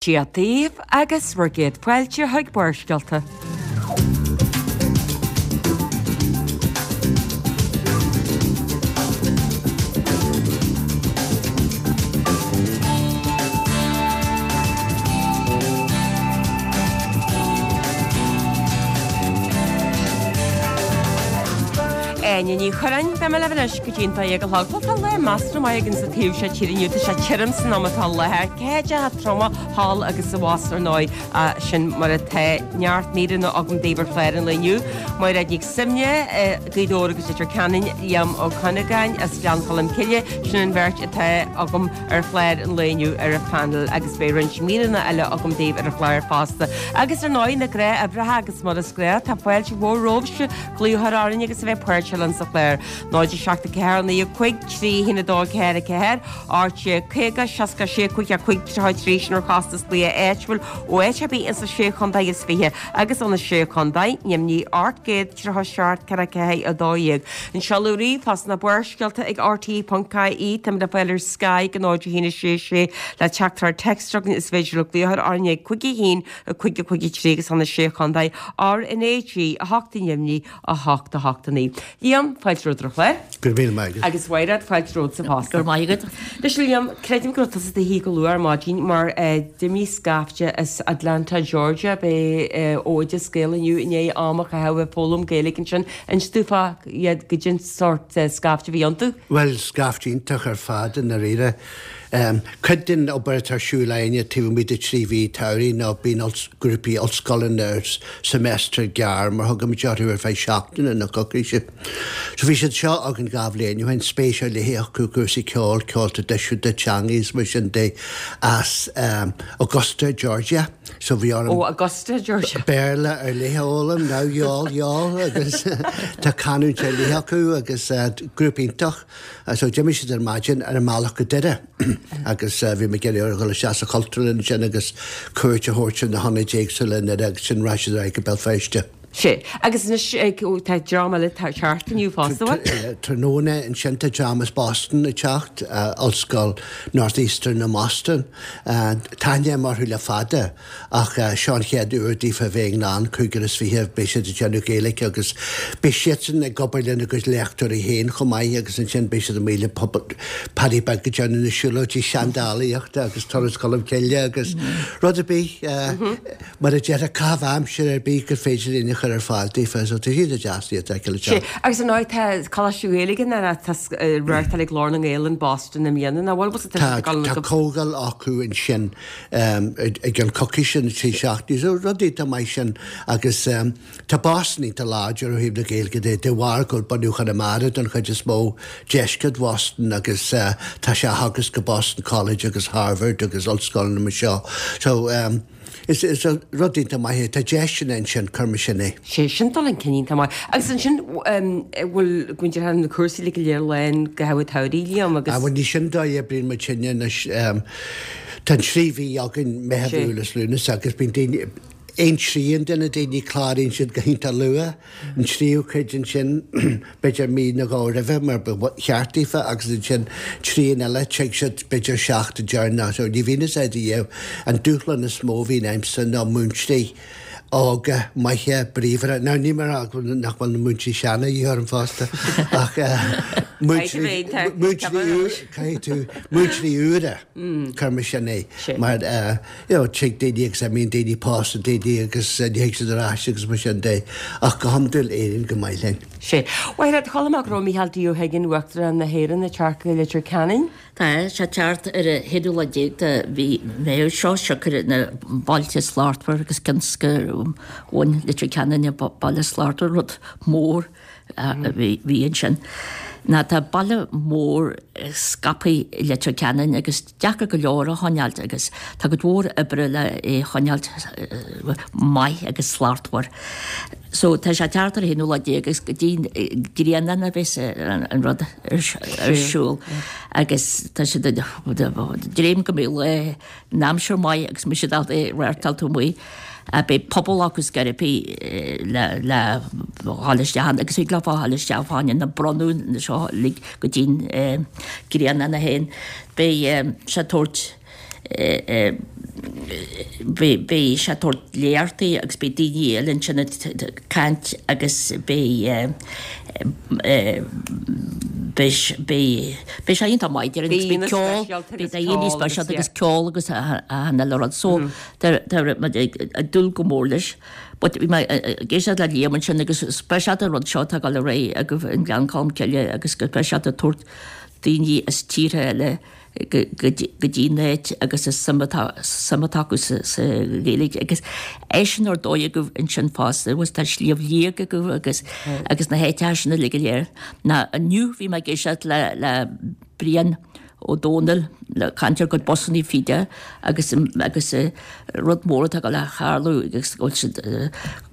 Dia daoibh agus bhur gcéad fáilte chuig Barrscéalta. Áine Ní Churráin, beidh mé libh anois go dtí an 12 a chlog. Bhuel tá lá measartha maith againn sa taobh seo tíre inniu, tá sé tirim san am atá i láthair, céideacha troma thall agus abhus ar ndóigh, sin mar atá. Neart míreanna agam daoibh ar chlár an lae inniu. Mairéad Nic Suibhne, Gaoth Dobhair agus Leitir Ceanainn, Liam Ó Cuinneagáin as Gleann Cholm Cille, sin an bheirt atá agam ar chlár an lae inniu ar an phainéal agus beidh roinnt míreanna eile agam daoibh ar an chlár fosta. Agus ar ndóigh na gnáthoibreacha agus mar is gnách tá fáilte mhór romhaibhse glaoch a chur orainn agus a bheith páirteach linn sa chlár. 0 7 4 9 5 3 1 2 4 4 18 50 66 5 5 33 sin ar chostas glaoch áitiúil ó áit ar bith ins na Sé Chontae is Fiche agus ó na Sé Chontae, Neimnigh 837 4 4 12. An seoladh ríomhphost ná Barrscéalta ag rte.ie Táimid le fáil ar Skype ag 0 1 6 6 le teachtaireacht téacs chugainn is féidir libh glaoch a chur orainn ag 5 1 5 5 3 agus ó na Sé Chontae RnaG 8 Neimnigh 8 8 9. Liam, fáilte romhat ar an chlár. Go raibh míle maith agat. Agus Mhairéad, fáilte romhatsa fosta. Go raibh maith agat. Anois a Liam, creidim go raibh tusa i do shuí go luath ar maidin mar d'imigh scaifte as Atlanta, Georgia, b'é ó Oideas Gael inniu i ndiaidh am a chaitheamh ag foghlaim Gaeilge ansin. Inis dúinn fá goidé an sórt scaifte a bhí iontu. Bhuel, scaifte iontach ar fad i ndáiríre. Cuid den obair atá ar siúl againne taobh amuigh de thrí mhí tsamhraidh ná bíonn grúpaí ollscoileanna ar semester gearr mar thugaimid orthu ar feadh seachtaine nó coicíse. So bhí siad seo againn dhá bhliain ó shin, spéis ar leith acu i gcúrsaí ceoil, ceol traidisiúnta, teangaí is mar sin de as Augusta, Georgia. So bhí orm Ó Augusta, Georgia. Béarla ar leith a fhoghlaim, now y'all, y'all agus tá canúint ar leith acu agus grúpa iontach. So d'imigh siad ar maidin ar a mbealach go Doire agus bhí mé ag iarraidh orthu dhul isteach sa Chultúrlann ansin agus cuairt a thabhairt ar na hionaid éagsúla i nDoire agus ansin rachaidh siad ar aghaidh go Béal Feirste. Sea. Agus anois tá dream eile ag teacht inniu fosta, an bhfuil? Tráthnóna ansin tá dream as Boston ag teacht, Ollscoil Northeastern i mBoston. Tá aithne agam orthu le fada. Ach seo an chéad uair daofa a bheith i nGleann 25, beidh siad ag déanamh Gaeilge agus beidh siadsan ag obair lena gcuid léachtóirí féin chomh maith agus ansin beidh siad amuigh le Paddy Beag ag déanamh na siúlóidí seandálaíochta agus Turas Cholm Cille agus rud ar bith, mar a déarfá, caitheamh aimsire ar bith gur féidir linn a chur ar fáil daofa. So tá siad deas iad a fheiceáil ag teacht. Agus ar ndóigh tá Coláiste Gaeilge na tá reáchtáil ag Glór na nGael in Boston i mbliana, nach bhfuil? Tá comhdháil acu ansin. i gceann coicíse nó 3 seachtainí. So rud iontach maith sin agus tá Boston iontach láidir ó thaobh na Gaeilge de, de bharr go bhfuil bunadh Chonamara don chuid is mó, deisceart Bhoston agus tá sé á theagasc go Boston College agus Harvard agus ollscoileanna mar seo. So is rud iontach maith é. Tá deiseanna ansin, cuir mar sin é. Sé sin dul chun cinn iontach maith. Agus ansin, bhfuil, go ndéarfá na cúrsaí uilig go léir lán go ham an tsamhraidh, Liam, agus. Ah bhuel ní sin dóigh a oibríonn muid sinne anois. Tá an trí mhí againn, Meitheamh, Iúil is Lúnasa, agus bíonn daoine, aon trian de na daoine, cláraíonn siad go hiontach luath, an tríú cuid ansin, b'fhéidir mí nó dhó roimhe mar ba cheart daofa agus ansin trian eile, tig siad b'fhéidir seachtain deireanach. So ní bhíonn a fhios a'd a dhéanamh. An dúshlán is mó a bhíonn a'msa ná múinteoirí óga, maithe, bríomhara. Now níl mé ag rá nach bhfuil na múinteoirí seana a dhíth orm fosta ach múinteoirí, múinteoirí, caithfidh tú, múinteoirí úra, cuir mar sin é, mar you know tig daoine agus imíonn daoine, pósann daoine agus ní thig siad ar ais agus mar sin de ach go hiondúil éiríonn go maith linn. Sea. Mhairéad, chuala mé go raibh Micheál D. Ó hUiginn, Uachtarán na hÉireann, ag teacht go Leitir Ceanainn. Tá sé ag teacht ar an haonú lá déag de mhí Mheithimh seo, siocair na Bailte Slachtmhar agus cionn gur bhain Leitir Ceanainn an Baile Slachtmhar, rud mór a bhí ansin. Ná tá baile mór scaipthe i Leitir Ceanainn agus deacair go leor a choinneáilt agus tá cuid mhór oibre le é a choinneáilt maith agus slachtmhar. So tá sé ag teacht ar an haonú lá déag agus go dtí Grianán a bheas an rud ar siúl agus tá siad ag dréim go mbeidh lá an aimsir maith agus mbeidh siad ábalta é a reáchtáil taobh amuigh. Beidh puball acu scor ar bith le le dhul isteach ann agus thig leofa dhul isteach fá choinne na bronnadh na seo uilig go dtí'n Grianán é féin. Beidh sé ag tabhairt. Beidh sé ag tabhairt léachtaí agus beidh daoine eile ansin ag caint agus beidh beidh sé iontach maith déarfainn agus beidh ceol, beidh daoine speisialta agus ceol agus achan uile rud so tá muid ag dúil go mór leis. But bhí mé ag éisteacht le Liam ansin agus speisialta an rud seo atá ag dul ar aghaidh agaibh i nGleann Cholm Cille agus go speisialta tabhairt daoine as tíortha eile go dtí an áit agus is suim atá suim atá acu sa Ghaeilge agus eisean ar dóigh agaibh ansin fosta agus tá Sliabh Liag agaibh agus agus na háiteacha sin uilig go léir. Ná inniu bhí mé ag éisteacht le le Brian Ó Dónaill ag caint ar a gcuid busannaí fida agus agus rud mór atá ag dul a tharlú agus go bhfuil siad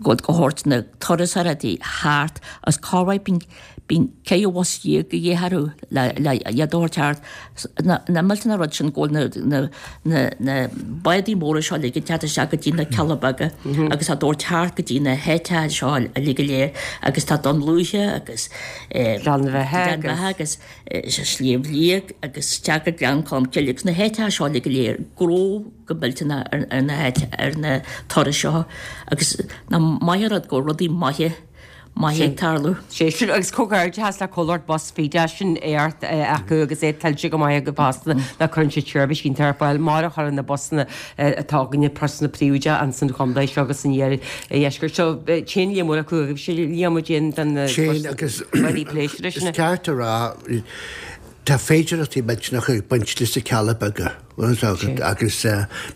go bhfuil go thabhairt na turasóirí thart as corruair bíonn Bíonn 14 bhus de dhíth orthu le iad a thabhairt thart. Na millteanna rud sin go bhfuil na na na bádaí móra seo uilig ag teacht isteach go dtí na Cealla Beaga agus á dtabhairt thart go dtí na háiteacha seo uilig go léir agus tá Dún Lúiche agus Gleann Bheatha Gleann Bheatha agus Sliabh Liag agus isteach go Gleann Cholm Cille agus na háiteacha seo uilig go léir gnó go millteanach ar na háit ar na turais seo agus nach maith an rud go bhfuil rudaí maithe maithe ag tarlú. Sé sin agus comhghairdeachas le comhlacht Bus Fida sin éacht acu agus é tuillte go maith acu fosta ná cuireann siad seirbhís iontach ar fáil mar a chuireann na busanna atá againne busanna príobháideacha ins an chontae seo agus san iardheisceart. So téann Liam Ó acu agus sé Liam Ó Déan don Téann agus rudaí pléisiúra sin. Is ceart a rá tá féidearthachtaí millteanacha ag baint leis na Cealla Beaga agus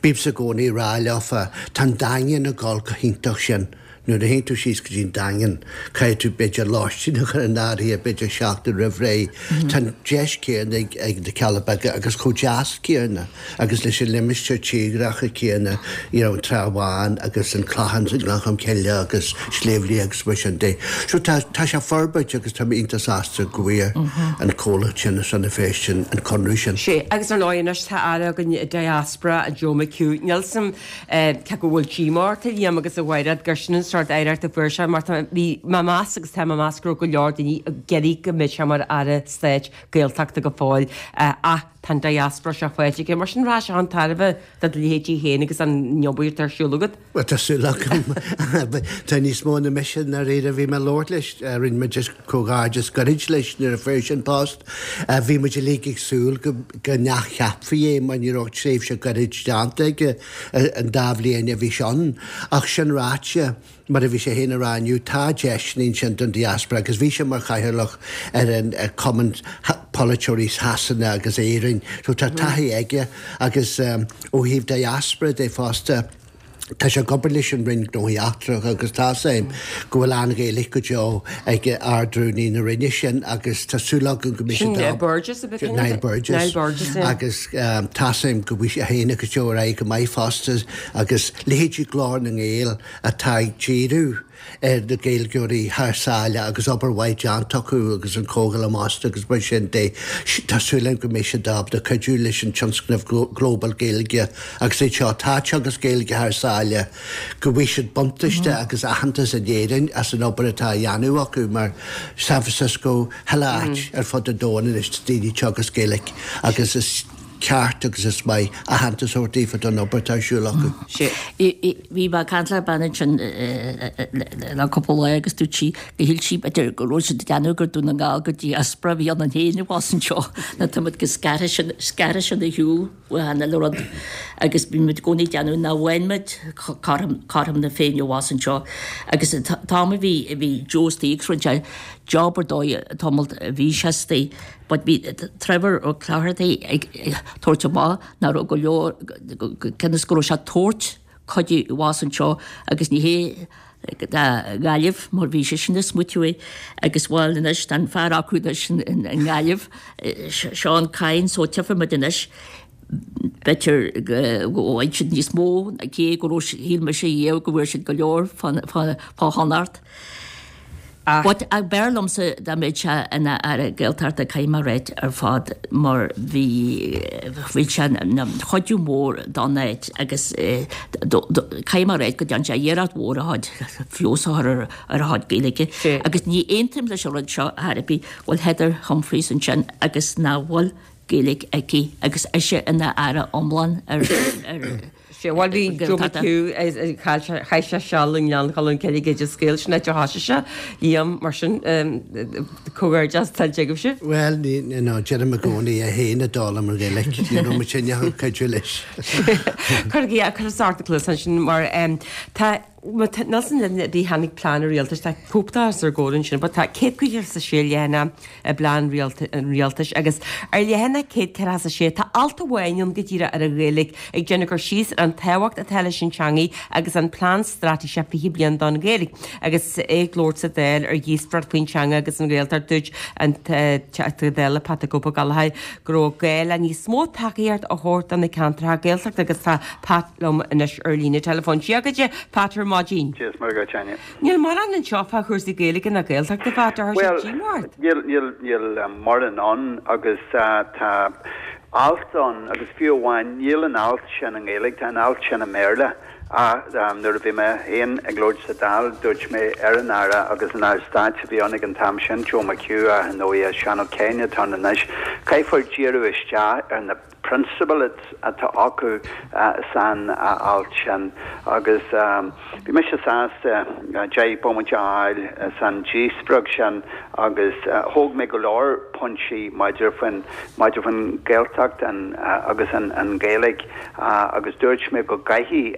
bímse i gcónaí ag rá leofa tá an Daingean ag dul go hiontach sin. Nuair a théann tú síos go dtí an Daingean, caithfidh tú b'fhéidir lóistín a chur in áirithe b'fhéidir seachtain roimh ré. Tá an deis céanna ag na Cealla Beaga agus chomh deas céanna agus leis an limistéar tírdhreacha céanna, you know, an Trá Bháin agus an Clochán i nGleann Cholm Cille agus Sliabh Liag agus mar sin de. So tá tá sé ag forbairt agus tá mé iontach sásta go bhfuair an comhlacht sin as Rann na Feirste an conradh sin. Sé, agus ar ndóigh anois tá aire againn diaspora, Joe McHugh. Níl 's a'm Cé go bhfuil díomá ort, a Liam, agus a Mhairéad, gur sin an sórt aireacht a fuair sé, mar tá, bhí mé ag meas agus tá mé ag meas go raibh go leor daoine ag iarraidh go mbeadh sé mar Aire Stáit Gaeltachta go fóill, ach tá an diaspora seo faighte aige. Mar sin, rachaidh sé chun tairbhe do do leithéidí féin agus an obair atá ar siúl agat. Bhuel, tá súil agam. Tá níos mó ná mise i ndáiríre. Bhí mé ag labhairt leis, rinne muid comhghairdeas gairid leis nuair a fuair sé an post. Bhí muid uilig ag súil go n-athcheapfaí é mar ní raibh ach tréimhse gairid déanta aige an dá bhliain a bhí sé ann. Ach sin ráite, mar a bhí sé féin a rá inniu, tá deiseanna ansin don diaspora agus bhí sé mar chathaoirleach ar an Cumann Polaiteoirí Shasana agus Éirinn so tá taithí aige agus ó thaobh diaspora de fosta, Tá sé ag obair leis an Roinn Gnóthaí Eachtracha agus tá's a'm go bhfuil an-Ghaeilge go deo ag Ard-Rúnaí na Roinne sin agus tá súil agam go mbeidh siad Sin Burgess ab ea? Niall Burgess. Niall Burgess, yeah. Agus tá's a'm go bhfuil sé féin agus Joe ar aghaidh go maith fosta agus leithéidí Glór na nGael atá ag díriú ar na Gaeilgeoirí thar sáile agus obair mhaith déanta acu agus an Comhdháil am Osta agus mar sin de. Tá súil agam go mbeidh siad ábalta cuidiú leis an tionscnamh Global Gaeilge agus iad seo atá ag teagasc Gaeilge thar sáile, go bhfaighidh siad buntáiste agus aitheantas in Éirinn as an obair atá á dhéanamh acu mar San Francisco, chuile áit ar fud an domhain anois tá daoine ag teagasc Gaeilge agus is ceart agus is maith aitheantas a thabhairt daofa don obair atá ar siúl acu. Bhí mé ag caint le bean ansin le cúpla lá agus dúirt sí go shíl sí b'fhéidir go raibh siad ag déanamh gur Dún na nGall go diaspora a bhí ionainn féin abhus anseo nó tá muid go scartha sin scartha sin ar shiúl ó achan uile rud agus bhí muid i gcónaí ag déanamh nach bhfaigheann muid cothrom cothrom na Féinne abhus anseo agus an t-am a bhí a bhí Joe istigh agus rinne sé job ar dóigh an tamall a bhí sé istigh But bhí Trevor Ó Clochartaigh ag tabhairt amach nach raibh go leor, cionn is go raibh sé ag tabhairt cuidiú abhus anseo agus ní hé do Ghaillimh mar bhí sé sin ag smaoitiú é agus bhuel anois tá an fear acu anois i nGaillimh, Seán Kyne, so tchífidh muid anois b'fhéidir go bhfaighidh siad níos mó cé go raibh shíl mise riamh go bhfuair siad go leor fá Chonnacht. Ach. But b'fhearr liomsa dá mbeadh sé ina Aire Gaeltachta caithfidh mé a ráit ar fad mar bhí bhí sé ina chuidiú mór don áit agus caithfidh mé a ráit go dtearn sé iarracht mhór a chuid feabhas a chur ar a chuid Gaeilge agus ní aontaím leis an rud seo ar bith bhfuil Heather Humphreys ansin agus nach bhfuil. Gaeilge aici agus ise ina Aire iomlán ar Sea, bhuel bhí Joe McHugh, chaith sé seal i nGleann Cholm Cille ag oideas Gael, sin áit ar thosaigh sé, Liam, mar sin, comhghairdeas tuillte agaibhse. Bhuel, ní, no, deirim i gcónaí é féin a d'fhoghlaim an Ghaeilge, ní raibh muid ag cuidiú leis. Cuirigí, cuir sár na cluasa ansin mar tá, Nelson bhí tháinig plean an rialtais, tá cóip de os ár gcomhair ansin, but tá 156 leathanach i bplean an rialtais agus ar leathanach 146 tá alt amháin ann go díreach ar an Ghaeilge ag déanamh cur síos ar an tábhacht atá leis an teangaidh agus an plean straitéiseach 20 bliain don Ghaeilge. Agus é ag labhairt sa Dáil ar dhíospóireacht faoin teanga agus an Ghaeltacht dúirt an Teachta Dála Pat the Cope Ó Gallchóir go raibh gá le níos mó tacaíocht a thabhairt do na ceantracha Gaeltachta agus tá Pat liom anois ar líne teileafóin. Dia dhuit, a Phat, ar maidin. Dia is Muire dhuit, Áine. Níl mórán anseo fá chúrsaí Gaeilge ná Gaeltachta, a Phat, tá sé díomách ort. Bhuel, níl, níl, níl mórán ann agus tá alt ann agus fiú amháin níl an alt sin i nGaeilge, tá an alt sin i mBéarla. Ach nuair a bhí mé féin ag labhairt sa Dáil dúirt mé ar an Aire agus an Aire Stáit a bhí ann ag an t-am sin, Joe McHugh, ach ar ndóigh Seán Ó Cadhain atá ann anois, caithfear díriú isteach ar na prionsabail atá acu san alt sin agus bhí mise sásta 10 bomaite a fháil san díospóireacht sin agus thóg mé go leor pointí maidir faoin maidir faoin Ghaeltacht agus an Ghaeilge agus dúirt mé go gcaithfidh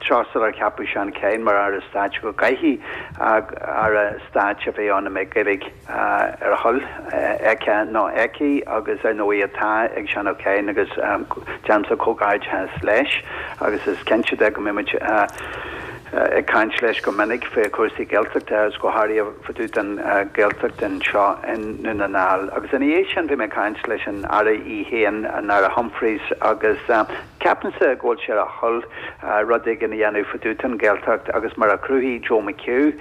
tráth sular ceapadh Seán Kyne mar Aire Stáit go gcaithfidh Aire Stáit a bheith ann a mbeidh Gaeilge ar a thoil aici nó aici agus ar ndóigh atá ag Seán Ó Cadhain agus déanaimse comhghairdeachas leis agus is cinnte de go mbeidh muid ag caint leis go minic faoi chúrsaí Gaeltachta agus go háirithe fá dtaobh den Ghaeltacht anseo i nDún na nGall. Agus ina dhiaidh sin bhí mé ag caint leis an Aire í féin, an Aire Humphreys agus ceapaimse go bhfuil sé ar a thoil rud éigin a dhéanamh fá dtaobh den Ghaeltacht agus mar a chruthaigh Joe McHugh,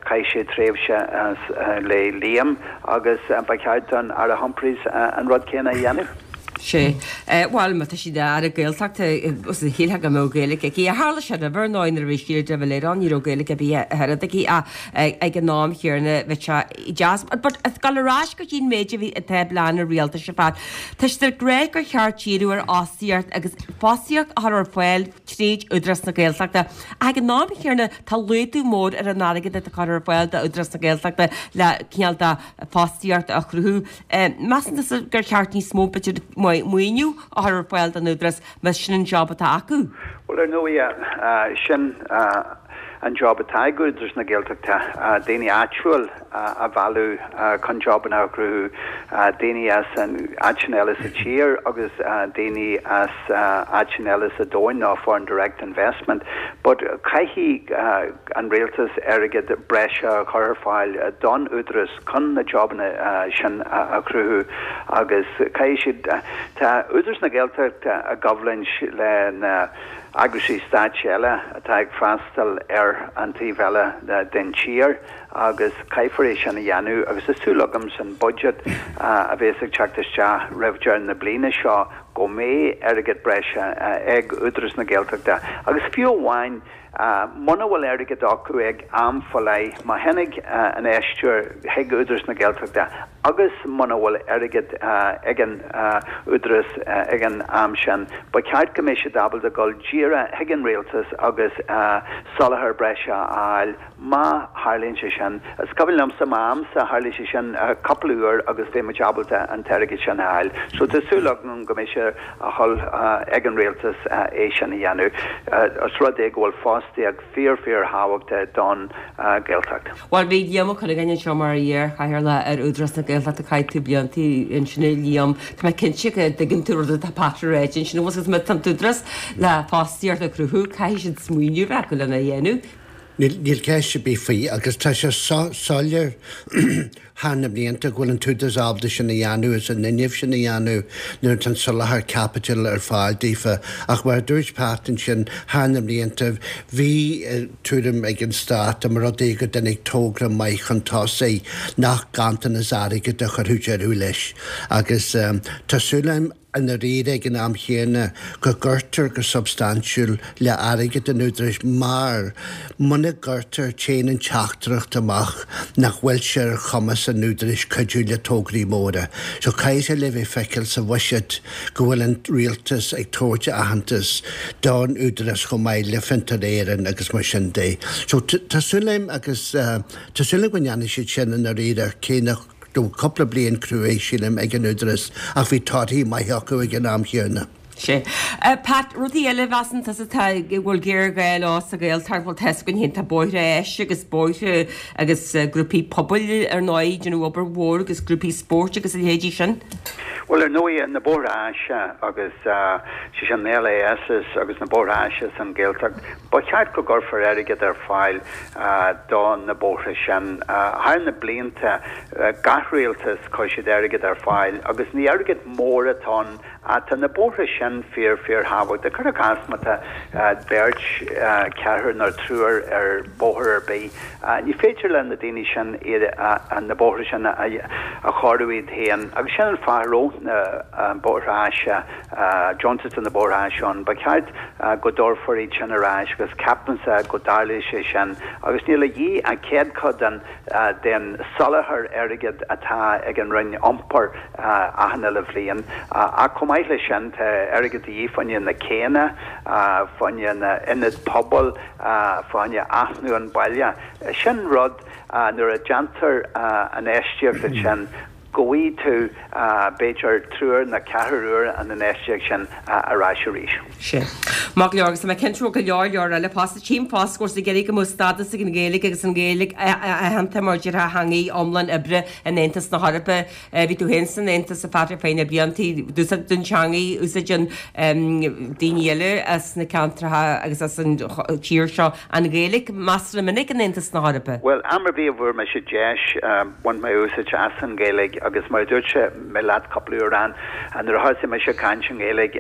Chaith sé tréimhse le Liam agus ba cheart don Aire Humphreys an rud céanna a dhéanamh. Sea. Bhuel, má tá sí ina Aire Gaeltachta, shílfeá go mbeadh Gaeilge aici. Tharla sé roimhe, ar ndóigh, nuair a bhí Síle de Valera ann, ní raibh Gaeilge ar bith ach oiread aici ach ag an am chéanna bhí sé deas. But ag dul ar ais go dtí an méid a bhí atá i bplean an rialtais ar fad. Tá siad ag rá gur cheart díriú ar fhostaíocht agus fostaíocht a chur ar fáil tríd Údarás na Gaeltachta. Ach ag an am chéanna tá laghdú mór ar an airgead atá curtha ar fáil d'Údarás na Gaeltachta le cineál de fostaíocht a chruthú. Measann tusa gur cheart níos mó b'fhéidir maoiniú a chur ar fáil don Údarás más sin an job atá acu? Bhuel ar ndóigh sin an job atá ag Údarás na Gaeltachta, daoine áitiúil a mhealladh chun jobanna a chruthú, daoine as áiteanna eile sa tír agus daoine as áiteanna eile sa domhain nó foreign direct investment. But caithfidh an rialtas airgead breise a chur ar fáil don Údarás chun na jobanna sin a chruthú agus caithfidh siad, tá Údarás na Gaeltachta i gcoimhlint le na eagraisí stáit eile atá ag freastal ar an taobh eile den tír. agus caithfear é sin a dhéanamh agus tá súil agam san budget a bhéas ag teacht isteach roimh deireadh na bliana seo go mbeidh airgead breise ag Údarás na Gaeltachta agus fiú amháin muna bhfuil airgead acu ag am fá leith má tháinig infheisteoir chuig Údarás na Gaeltachta agus muna bhfuil airgead ag an Údarás ag an am sin ba cheart go mbeidh siad ábalta dul díreach chuig an Rialtas agus soláthar breise a fháil Má tharlaíonn sé sin, is cuimhin liomsa m'amsa, tharlaigh sé sin cúpla uair agus bhí muid ábalta an t-airgead sin a fháil. So tá súil agam go mbeidh sé ar a thoil ag an rialtas é sin a dhéanamh. Os rud é go bhfuil fostaíocht fíor fíor thábhachtach don Ghaeltacht. Bhuel bhí Liam Ó Cuinneagáin anseo mar iar-chathaoirleach ar Údarás na Gaeltachta, chaith tú blianta ansin a Liam. Tá mé cinnte go dtuigeann tú rud atá Pat a ráit ansin, agus má tá an tÚdarás le fostaíocht a chruthú, caithfidh siad smaoineamh a bheith acu lena dhéanamh. Níl ceist ar bith faoi agus tá sé soiléir thar na blianta go bhfuil an tÚdarás ábalta sin a dhéanamh agus an fhuinneamh sin a dhéanamh nuair atá an soláthar caipitil ar fáil daofa. Ach mar a dúirt Pat ansin, thar na blianta bhí tuairim ag an Stát dá mba rud é go dtáinig togra maith chun tosaigh nach ganntanas airgid a chuirfeadh deireadh leis. Agus tá súil agam. i ndáiríre ag an am chéanna go gcuirtear go substaintiúil le airgead an Údaráis mar muna gcuirtear téann an teachtaireacht amach nach bhfuil sé ar chumas an Údaráis cuidiú le tograí móra. So caithfidh sé le bheith feicéail sa bhuiséad go bhfuil an rialtas ag tabhairt aitheantas don Údarás chomh maith le Fiontar Éireann agus mar sin de. So tá súil agam agus tá súil agam go ndéanfaidh siad sin i ndáiríre cé nach raibh cúpla bliain cruaidh, sílim, ag an Údarás ach bhí torthaí maithe acu ag an am chéanna. Sea. Pat, rudaí eile a mheasann tusa atá, go bhfuil géarghá leo sa Ghaeltacht, bhuel tá 'fhios againn féin, tá bóithre áise agus bóithre agus grúpaí pobail ar ndóigh ag déanamh obair mhór agus grúpaí spóirt agus a leithéidí sin. Bhuel ar ndóigh na bóithre áise agus sé sin na LASs agus na bóithre áise san Ghaeltacht, Ba cheart go gcuirfear airgead ar fáil do na bóithre sin. Thar na blianta, gach rialtas, chuir siad airgead ar fáil agus ní airgead mór atá ann ach tá na bóithre sin fíor, fíor thábhachtach. Cuir i gcás má tá beirt, ceathrar nó triúr ar bóthar ar bith, ní féidir le na daoine sin iad, na bóithre sin a chóiriú iad féin agus sin an fáth a raibh na bóithre áise deontas do na bóithre áise ann. Ba cheart go dtabharfar iad sin ar ais agus ceapaimse go dtarlóidh sé sin agus níl a dhíth ach céadchuid den den soláthar airgid atá ag an Roinn Iompair achan uile bhliain. Ach chomh maith leis sin tá airgead de dhíth fá choinne na céanna, fá choinne na ionaid pobail, fá choinne athnuachan an bhaile. Sin rud nuair a déantar an infheistíocht ansin, go bhfaighidh tú b'fhéidir triúr nó ceathrar uair an infheistíocht sin ar ais arís. Sea. Maith go leor, agus tá mé cinnte go bhfuil go leor leor eile fosta. Tchím fosta go bhfuil siad ag iarraidh go mbeadh stádas ag an Ghaeilge agus an Ghaeilge aitheanta mar déarfá theangaidh iomlán oibre in Aontas na hEorpa. Bhí tú féin san Aontas a Phat ar feadh na bliantaí. D'úsáid an teangaidh, úsáideann daoine eile as na ceantracha agus as an tír seo an Ghaeilge measartha minic in Aontas na hEorpa. Bhuel, am ar bith a bhfuair mise deis, bhain mé úsáid as an Ghaeilge agus mar a dúirt mé leat cúpla uair ann, nuair a thosaigh mise ag caint i nGaeilge,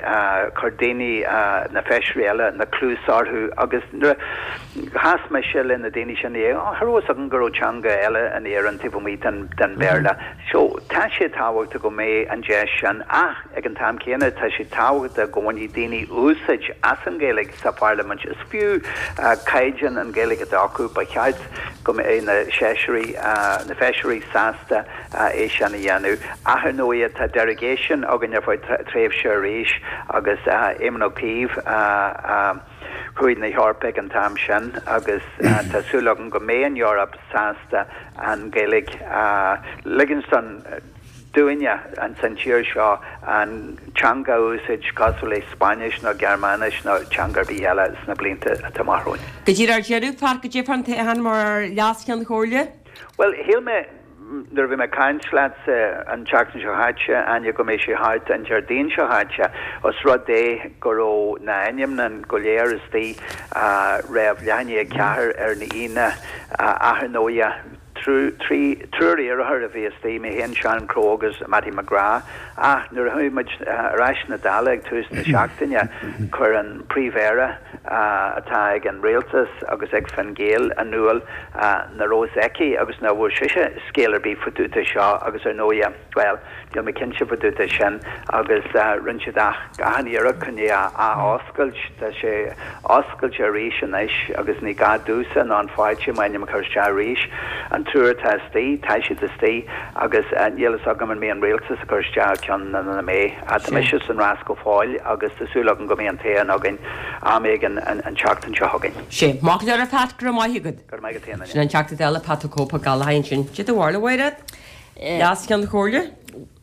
chuir daoine, na feisirí eile, na cluasa orthu agus nuair a chas mise le na daoine sin, oh, cha raibh fhios agam go raibh teanga eile in Éirinn taobh amuigh den Bhéarla. So, tá sé tábhachtach go mbeidh an deis sin ach ag an t-am céanna tá sé tábhachtach go mbainfidh daoine úsáid as an Ghaeilge sa pharlaimint. Is fiú caighdeán an Ghaeilge atá acu, ba cheart go mbeidh na seisirí, na feisirí sásta é sin a dhéanamh. Ach ar ndóighe tá derogation againn ar feadh tréimhse arís agus Éamon Ó Cuív a chuaigh na hEorpa ag an t-am sin agus tá súil agam go mbeidh an Eoraip sásta an Ghaeilge a ligint don dúinne ins an tír seo an teanga a úsáid cosúil le Spáinnis nó Gearmáinis nó teanga ar bith eile sna blianta atá amach romhainn. Go díreach ar deireadh, Pat, goidé fán toghchán mar Leas-Cheann Comhairle? Bhuel, shíl mé nuair a bhí mé ag caint leatsa an tseachtain seo chaite, Áine, go mbeidh sé thart an Déardaoin seo chaite, os rud é go raibh na ainmneacha go léir istigh roimh leath i ndiaidh a ceathair ar an Aoine, ach ar ndóighe, Triúr iarrthóir a bhí istigh, mé féin, Sharon Crowe agus Mattie McGrath. Ach nuair a chuaigh muid ar ais na Dála ag tús na seachtaine, chuir an Príomh-Aire atá ag an Rialtas agus ag Fine Gael in iúl nach raibh fhios aici agus nach bhfuair sise scéal ar bith fá dtaobh de seo agus ar ndóighe, Bhuel, níl mé cinnte fá dtaobh de sin agus rinne siad achan iarracht chun é a ath-oscailt. Tá sé oscailte arís anois agus ní gá domhsa ná an pháirtí m'ainm a chur isteach arís. An triúr atá istigh, tá siad istigh agus níl fhios agam an mbeidh an rialtas ag cur isteach ceann nó nach mbeidh. Tá mise san rás go fóill agus tá súil agam go mbeidh an toghchán againn am éigin an tseachtain seo chugainn. Sé. Maith go leor a Phat, go raibh maith agat. Go raibh maith agat féin, Sin an Teachta Dála Pat 'The Cope Ó Gallchóir ansin. Cad é do bharúil a Mháire? Leas-Cheann Comhairle?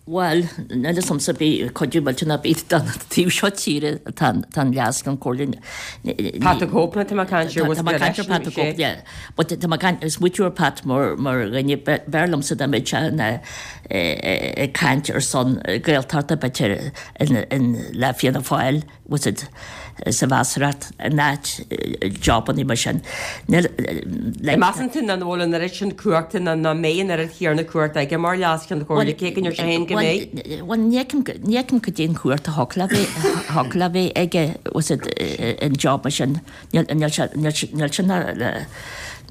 Bhuel, níl fhios a'msa bith cuidiú millteanach ar bith don taobh seo tíre atá an Leas-Cheann Comhairle. Pat 'The Cope, tá mé ag caint ar Tá mé ag caint ar Pat 'The Cope, yeah. But tá mé ag caint, smaoitiú ar Pat mar mar dhuine, b'fhearr liomsa dá mbeadh sé ina ag caint ar son Gaeltachta b'fhéidir in le Fianna Fáil. was it sa bhfeasaireacht in áit jobannaí mar sin. Níl, like. Measann tú nach bhfuil an oiread sin cumhachta nó nach mbeidh an oiread chéanna cumhachta aige mar Leas-Cheann Comhairle, cé go ndeir sé féin go mbeidh? Bhuel, ní fheicim, ní fheicim cad é an chumhacht a thiocfadh le bheith, thiocfadh le bheith aige, was it in job mar sin. Níl, níl sé, níl sé, níl sin,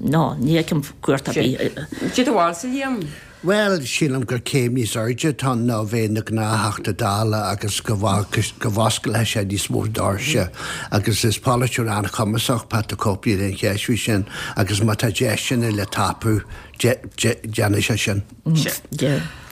no, ní fheicim cumhacht ar bith. Cad é do bharúilsa, Liam? Bhuel, sílim gur céim níos airde atá ann ná bheith ina ghnáth-Theachta Dála agus go bhfosclóidh sé níos mó doirse agus is polaiteoir an-chumasach Pat the Cope, níl aon cheist faoi sin, agus má tá deiseanna le tapú, déanfaidh sé sin.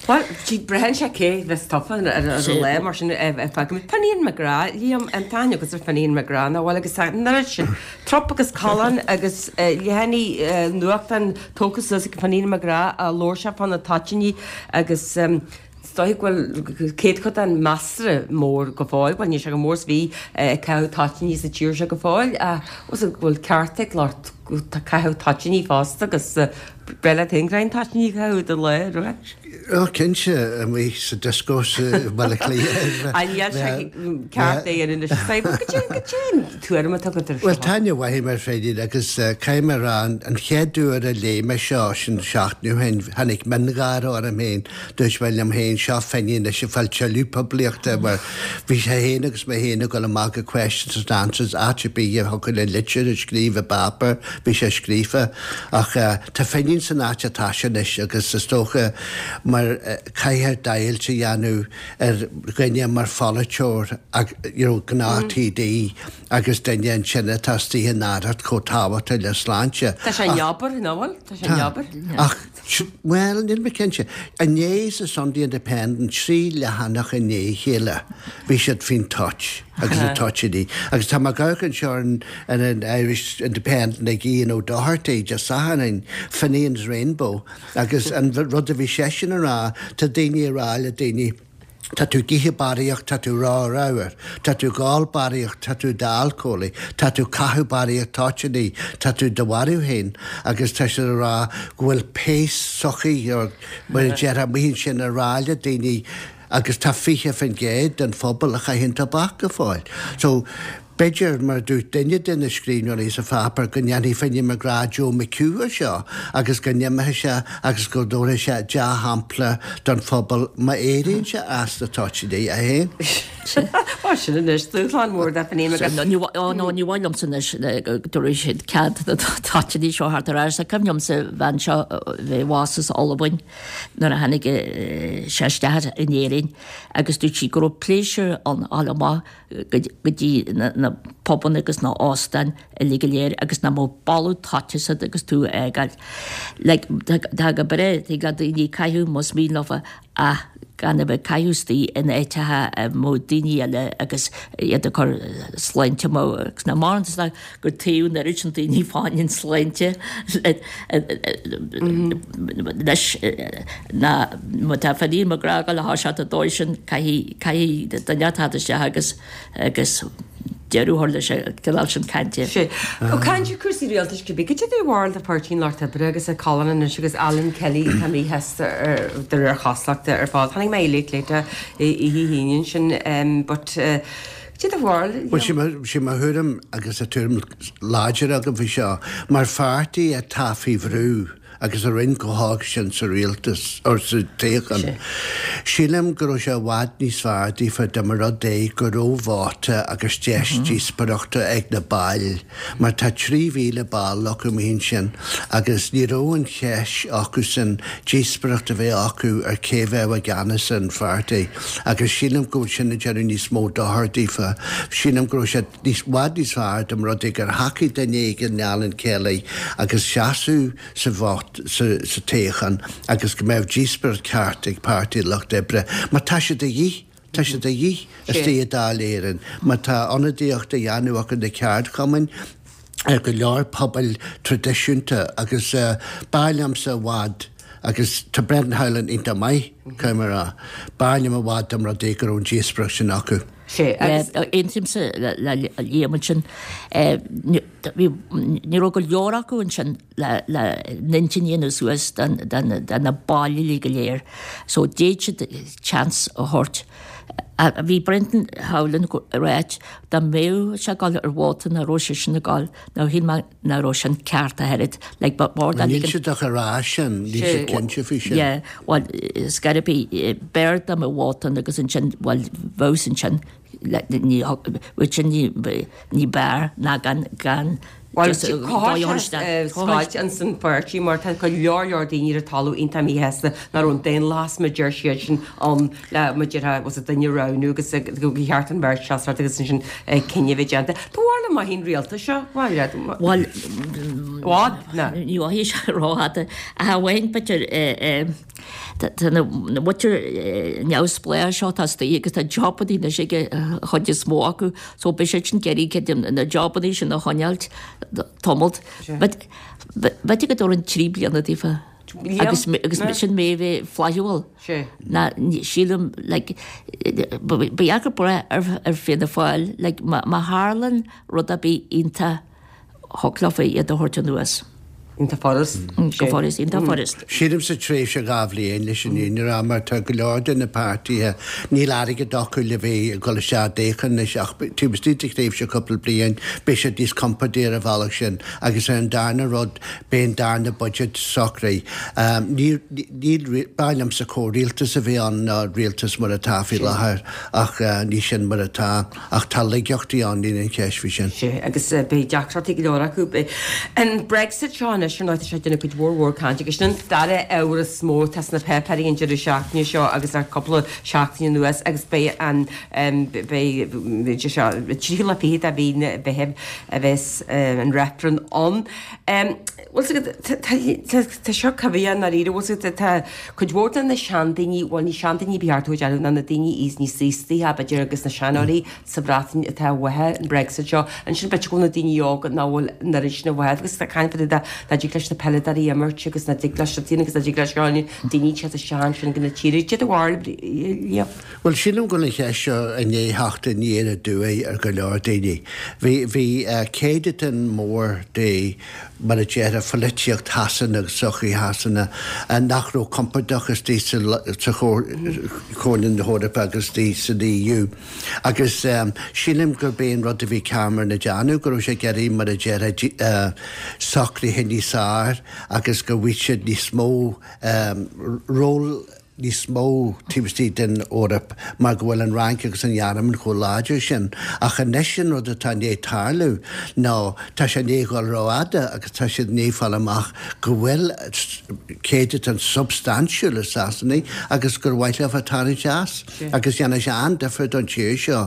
Bhuel, braitheann sé cé bheas tofa ar an lá mar sin feicfimid. Finian McGrath, Liam, an t-ainm agat ar Finian McGrath, nach bhfuil agus an oiread sin trup agus callán agus leathanaigh nuachtáin tógtha suas ag Finian McGrath a labhair sé fá na toitíní agus is dóigh go bhfuil céadchodán measartha mór go fóill, bhuel níl sé chomh mór is bhí ag caitheamh toitíní sa tír seo go fóill ach go bhfuil ceart ag lucht caitheamh toitíní fosta agus Breá leat féin greim toitíní a chaitheamh i do lá, raibh? Ó, cinnte, amuigh sa dioscó i mBaile Átha Cliath. An níl sé ceart é a dhéanamh anois? Goidé, goidé an tuairim atá agat ar seo? Bhuel, tá aithne mhaith agam ar Finian agus caithfidh mé a rá, an chéad uair a léigh mé seo, sin seachtain ó shin, tháinig miongháire orm féin. Dúirt mé liom féin, seo Finian anois ag fáil tuilleadh poiblíochta mar bhí sé féin agus mé féin ag dul amach go Questions and Answers, áit ar bith a thiocfadh le litir a scríobh i bpáipéar, bhí sé scríofa. Ach tá Finian san áit atá sé anois agus is dócha mar caithfear deighilt a dhéanamh ar dhuine mar pholaiteoir you know gnáth TD agus duine ansin atá istigh in aireacht chomh tábhachtach le sláinte. Tá sé in obair, nach bhfuil? Tá sé in obair. Ach, bhuel, níl mé cinnte. Inné sa Sunday Independent, 3 leathanach i ndiaidh a chéile, bhí siad faoin toit. agus na toitíní. Agus tá mé ag amharc anseo ar an ar an Irish Independent ag Ian O'Doherty Dé Sathairn, Finian's Rainbow, agus an rud a bhí seisean a rá, tá daoine ag rá le daoine, tá tú ag ithe barraíocht, tá tú ró-ramhar, tá tú ag ól barraíocht, tá tú d'alcólaí, tá tú ag caitheamh barraíocht toitíní, tá tú do mharú féin, agus tá siad ag rá go bhfuil péas sochaí, mar a déarfá, amuigh ansin ag rá le daoine, Agus tá 20% den phobal a chaitheann tobac go fóill. So, b'fhéidir, mar a dúirt duine de na scríbhneoirí sa pháipéar, go ndéanfaidh Finian McGrath Joe McHugh air seo agus go n-imeoidh sé agus go dtabharfaidh sé dea-shampla don phobal má éiríonn sé as na toitíní, é féin. Bhuel, sin anois dúshlán mór do Finian McGrath. Ní maith liomsa anois go dtabharfaidh siad cead na toitíní seo thart ar ais. Cuimhin liomsa bhean seo bhí abhus as Albain. nuair a tháinig sé isteach in Éirinn agus dúirt sí go raibh pléisiúr ann a dhul amach go dtí na pubanna agus na óstáin uilig go léir agus nach mbeadh boladh toite asat agus tú a fhágáil. Like, tá go breá, tig le daoine caitheamh más mian leofa ach gan a bheith ag caitheamh istigh in áiteacha a mbeadh daoine eile agus iad ag cur sláinte amú agus nach maireann is gur taobh an oiread sin daoine fá choinne an sláinte leis ná má tá Finian McGrath ag dul a thoiseacht an dóigh sin caithfidh caithfidh duine teacht isteach agus agus deireadh a chur leis an gcineál sin cainte. Sea. Ó caint ar cúrsaí rialtais cibé, cad é do bharúil de Pháirtí an Lucht Oibre agus a Colin anois agus Alan Kelly atá míshásta de réir chosúlachta ar fad. Chonaic mé é léite oíche hAoine ansin but Cad é do bharúil? Bhuel, sé mo thuairim, agus tá tuairim láidir agam faoi seo, mar pháirtí atá faoi bhrú agus a rinne chomh holc sin sa rialtas, or sa toghchán, sílim go raibh sé i bhfad níos fearr daofa dá mba rud é go raibh vóta agus deis díospóireachta ag na baill, mar tá 3,000 ball acu amuigh ansin agus ní raibh an cheist acusan díospóireacht a bheith acu ar cé bheadh i gceannas ar an pháirtí agus sílim go bhfuil sin ag déanamh níos mó dochair daofa. Sílim go raibh sé i bhfad níos fearr dá mba rud é gur thacaigh duine éigin le Alan Kelly agus seasamh sa vóta sa toghchán agus go mbeadh díospóireacht ceart ag Páirtí an Lucht Oibre mar tá sé de dhíth. Tá sé de dhíth istigh i Dáil Éireann má tá ionadaíocht a dhéanamh acu na ceardchumainn ar go leor pobail traidisiúnta agus b'fhearr liomsa i bhfad agus tá Brendan Howlin iontach maith, caithfidh mé a rá, b'fhearr liom i bhfad dá mba rud é go raibh an díospóireacht sin acu. Sea, agus. Aontaímse le Liam ansin. Ní raibh go leor acu ansin le n-intinn a dhéanamh suas do na baill uilig go léir. So d'fhéadfadh siad chance a thabhairt. Bhí Brendan Howlin ag ráit dá mbeadh sé ag dul ar vóta nach raibh seisean ag dul, nó shíl mé nach raibh sin ceart ach oiread. Like ba mhór dá Níl ligean. siad ach ag rá sin, níl siad cinnte faoi sin. Yeah, bhuel, scor ar bith, b'fhearr dá mbeadh vóta ann agus ansin, bhuel, bheadh ansin, ní, bheadh sin ní, ní b'fhearr ná gan, gan. Bhuel, chothaigh sé scoilt ins an pháirtí mar tá go leor leor daoine ar an talamh iontach míshásta nach raibh an daonlathas mar a deir siadsan ann le mar a déarfá bhfuil a fhios agat duine a roghnú agus go cheart an bheirt seasamh agus ansin cinneadh a bheith déanta. Do bharúil an mairfidh an rialtas seo? Bhuel, Bhfad? Ná. Ní mhairfidh sé rófhada. Ach amháin b'fhéidir Tá na muintir neamhspleách seo atá istigh agus tá jobannaí anois ag an chuid is mó acu so beidh siad sin ag iarraidh cuid de na jobannaí sin a choinneáilt tamalt. But b'fhéidir go dtabharfainn 3 bliana daofa agus agus sin mé a bheith flaithiúil. Ná sílim like ba dheacair brath ar Fianna Fáil like má tharlann rud ar bith iontach Thig leofa iad a thabhairt anuas. Iontach furast. Go furast, iontach furast. Sílimse tréimhse 2 bhliain leis an fhírinne a rá mar tá go leor de na páirtithe, níl airgead acu le bheith ag dul isteach i dtoghchán anois ach taobh istigh de thréimhse cúpla bliain beidh siad níos compordaí ar an bhealach sin agus ar an darna rud beidh an darna budget socraithe. Níl, níl, b'fhearr liomsa comhrialtas a bheith ann ná rialtas mar atá faoi láthair ach ní sin mar atá. Ach tá laigeachtaí ann, níl aon cheist faoi sin. Sea, agus beidh deacrachtaí go leor acu. An Brexit seo anois, ar ndóigh, tá sé ag déanamh cuid mhór mhór cainte agus sin an dara ábhar is mó atá sna páipéirí an deireadh seachtaine seo agus le cúpla seachtain anuas agus beidh an, beidh, seo, an tríú lá fichead de mhí an Mheithimh a bheas an reifreann ann. Bhfuil 's agat, tá seo coimhthíoch i ndáiríre, bhfuil 's agat, tá cuid mhór de na seandaoine, bhuel ní seandaoine ba cheart dom a déarfadh, ná na daoine níos aostaithe b'fhéidir agus na seanóirí sa Bhreatain atá uathu an Brexit seo. Ansin b'fhéidir go bhfuil na daoine óga nach bhfuil an oiread sin uathu agus tá caint fá dtaobh de nach dtig leis na peileadóirí imirt agus nach dtig leis na agus nach dtig leis na daoine teacht isteach ansin go na tíre. Cad é do bharúil, Liam? Bhuel, sílim go bhfuil an cheist seo i ndiaidh theacht aniar aduaidh ar go leor daoine. Bhí, bhí céadatán mór de, mar a déarfá, pholaitíocht Shasana agus sochaí Shasana nach raibh compordach istigh sa, sa Chomhairle na hEorpa agus istigh san EU. Agus sílim gurb é an rud a bhí Cameron ag déanamh, go raibh sé ag iarraidh, mar a déarfá, socruithe níos fearr agus go bhfaighidh siad níos mó ról, níos mó taobh istigh den Eoraip mar go bhfuil an Fhrainc agus an Ghearmáin chomh láidir sin. Ach anois an rud atá i ndiaidh tarlú ná tá sé i ndiaidh dhul rófhada agus tá siad i ndiaidh fáil amach go bhfuil céadatán substaintiúil i Sasanaigh agus gur mhaith leo tarraingt as. Agus dhéanfaidh sé an-difear don tír seo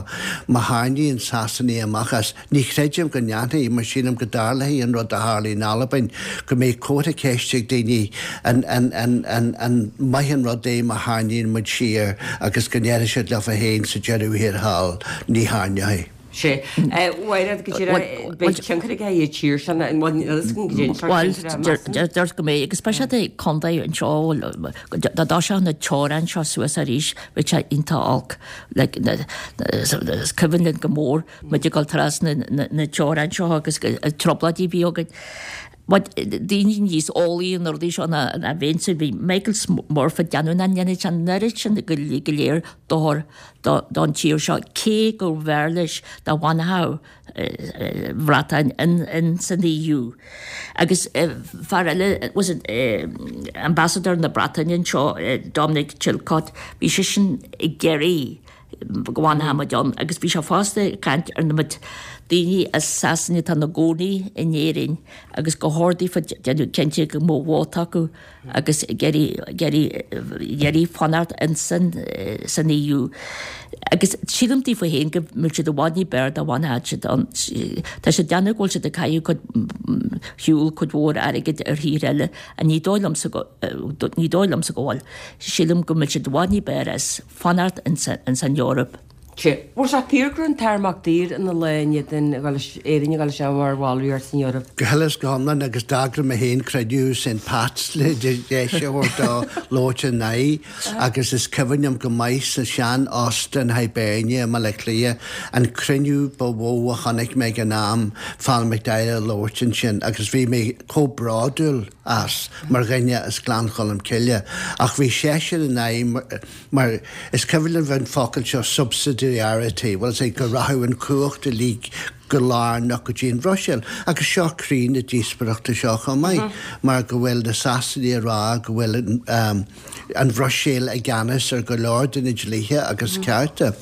má tharraingíonn Sasanaigh amach as. Ní chreidim go ndéanfaidh, mar sílim go dtarlóidh an rud a tharlaigh in Albain, go mbeidh comhartha ceiste ag daoine an an maith an rud é má tharraingíonn muid siar agus go ndéarfaidh siad leofa féin sa deireadh thiar thall, ní tharraingeoidh. Sea. Mhairéad, go díreach, beidh tionchar aige ar an tír seo, an bhfuil a fhios againn goidé an sórt Bhuel, tionchair a measann? deir go mbeidh, agus beidh siad ag contae anseo, dá dtoiseodh na teorainn seo suas arís, bheadh sé iontach olc. Like, is cuimhin linn go mór muid ag dul trasna na teorann seo agus an trioblóidí a bhí againn. But daoine níos eolaí ar na rudaí seo ná ná bheinnse, bhí Michael Murphy ag déanamh nach ndéanfaidh sé an oiread sin go léir dochar don tír seo cé go mb'fhearr leis dá bhfanfadh Bhreatain in san EU. Agus fear eile was it Ambassador na Breataine anseo, Dominic Chilcott, bhí seisean ag iarraidh go bhfanfadh muid ann agus bhí sé fosta ag caint ar na daoine as Sasana atá ina gcónaí in Éirinn agus gur chóir daofa déanamh cinnte go mbeadh vóta acu agus ag iarraidh fanacht insan san EU. Agus sílim daofa féin go mbeadh siad i bhfad ní b'fhearr dá bhfanfadh siad ann. Tá siad ag déanamh go bhfuil siad ag caitheamh cuid shiúl cuid mhór airgid ar thír eile ach ní dóigh liomsa go ní dóigh liomsa go bhfuil. Sílim go mbeadh siad i bhfad ní b'fhearr as. fanacht ins an Eoraip. Sea. Bhfuil sé fíor go raibh an tAire Mac Uidhir ina lá in éadan Éirinn a dhul isteach mar bhallraíocht san Eoraip? Go huile is go hiomlán agus d'eagraigh mé féin cruinniú St Pat's le deis a thabhairt dó labhairt ina aghaidh agus is cuimhin liom go maith sa sean Óstán Hibernia i mBaile Átha Cliath an cruinniú ba mhó a chonaic mé ag an am Phelim McDyer ag labhairt ansin agus bhí mé chomh bródúil as mar dhuine as Gleann Cholm Cille ach bhí seisean in aghaidh mar is cuimhin liom an focal seo subsidiarity, bhuel is é go rachadh an chumhacht uilig go lárnach go dtí an Bhruiséil agus seo croí na díospóireachta seo chomh maith mar go bhfuil na Sasanaigh ag rá go bhfuil an Bhruiséil i gceannas ar go leor de na dlíthe agus cearta.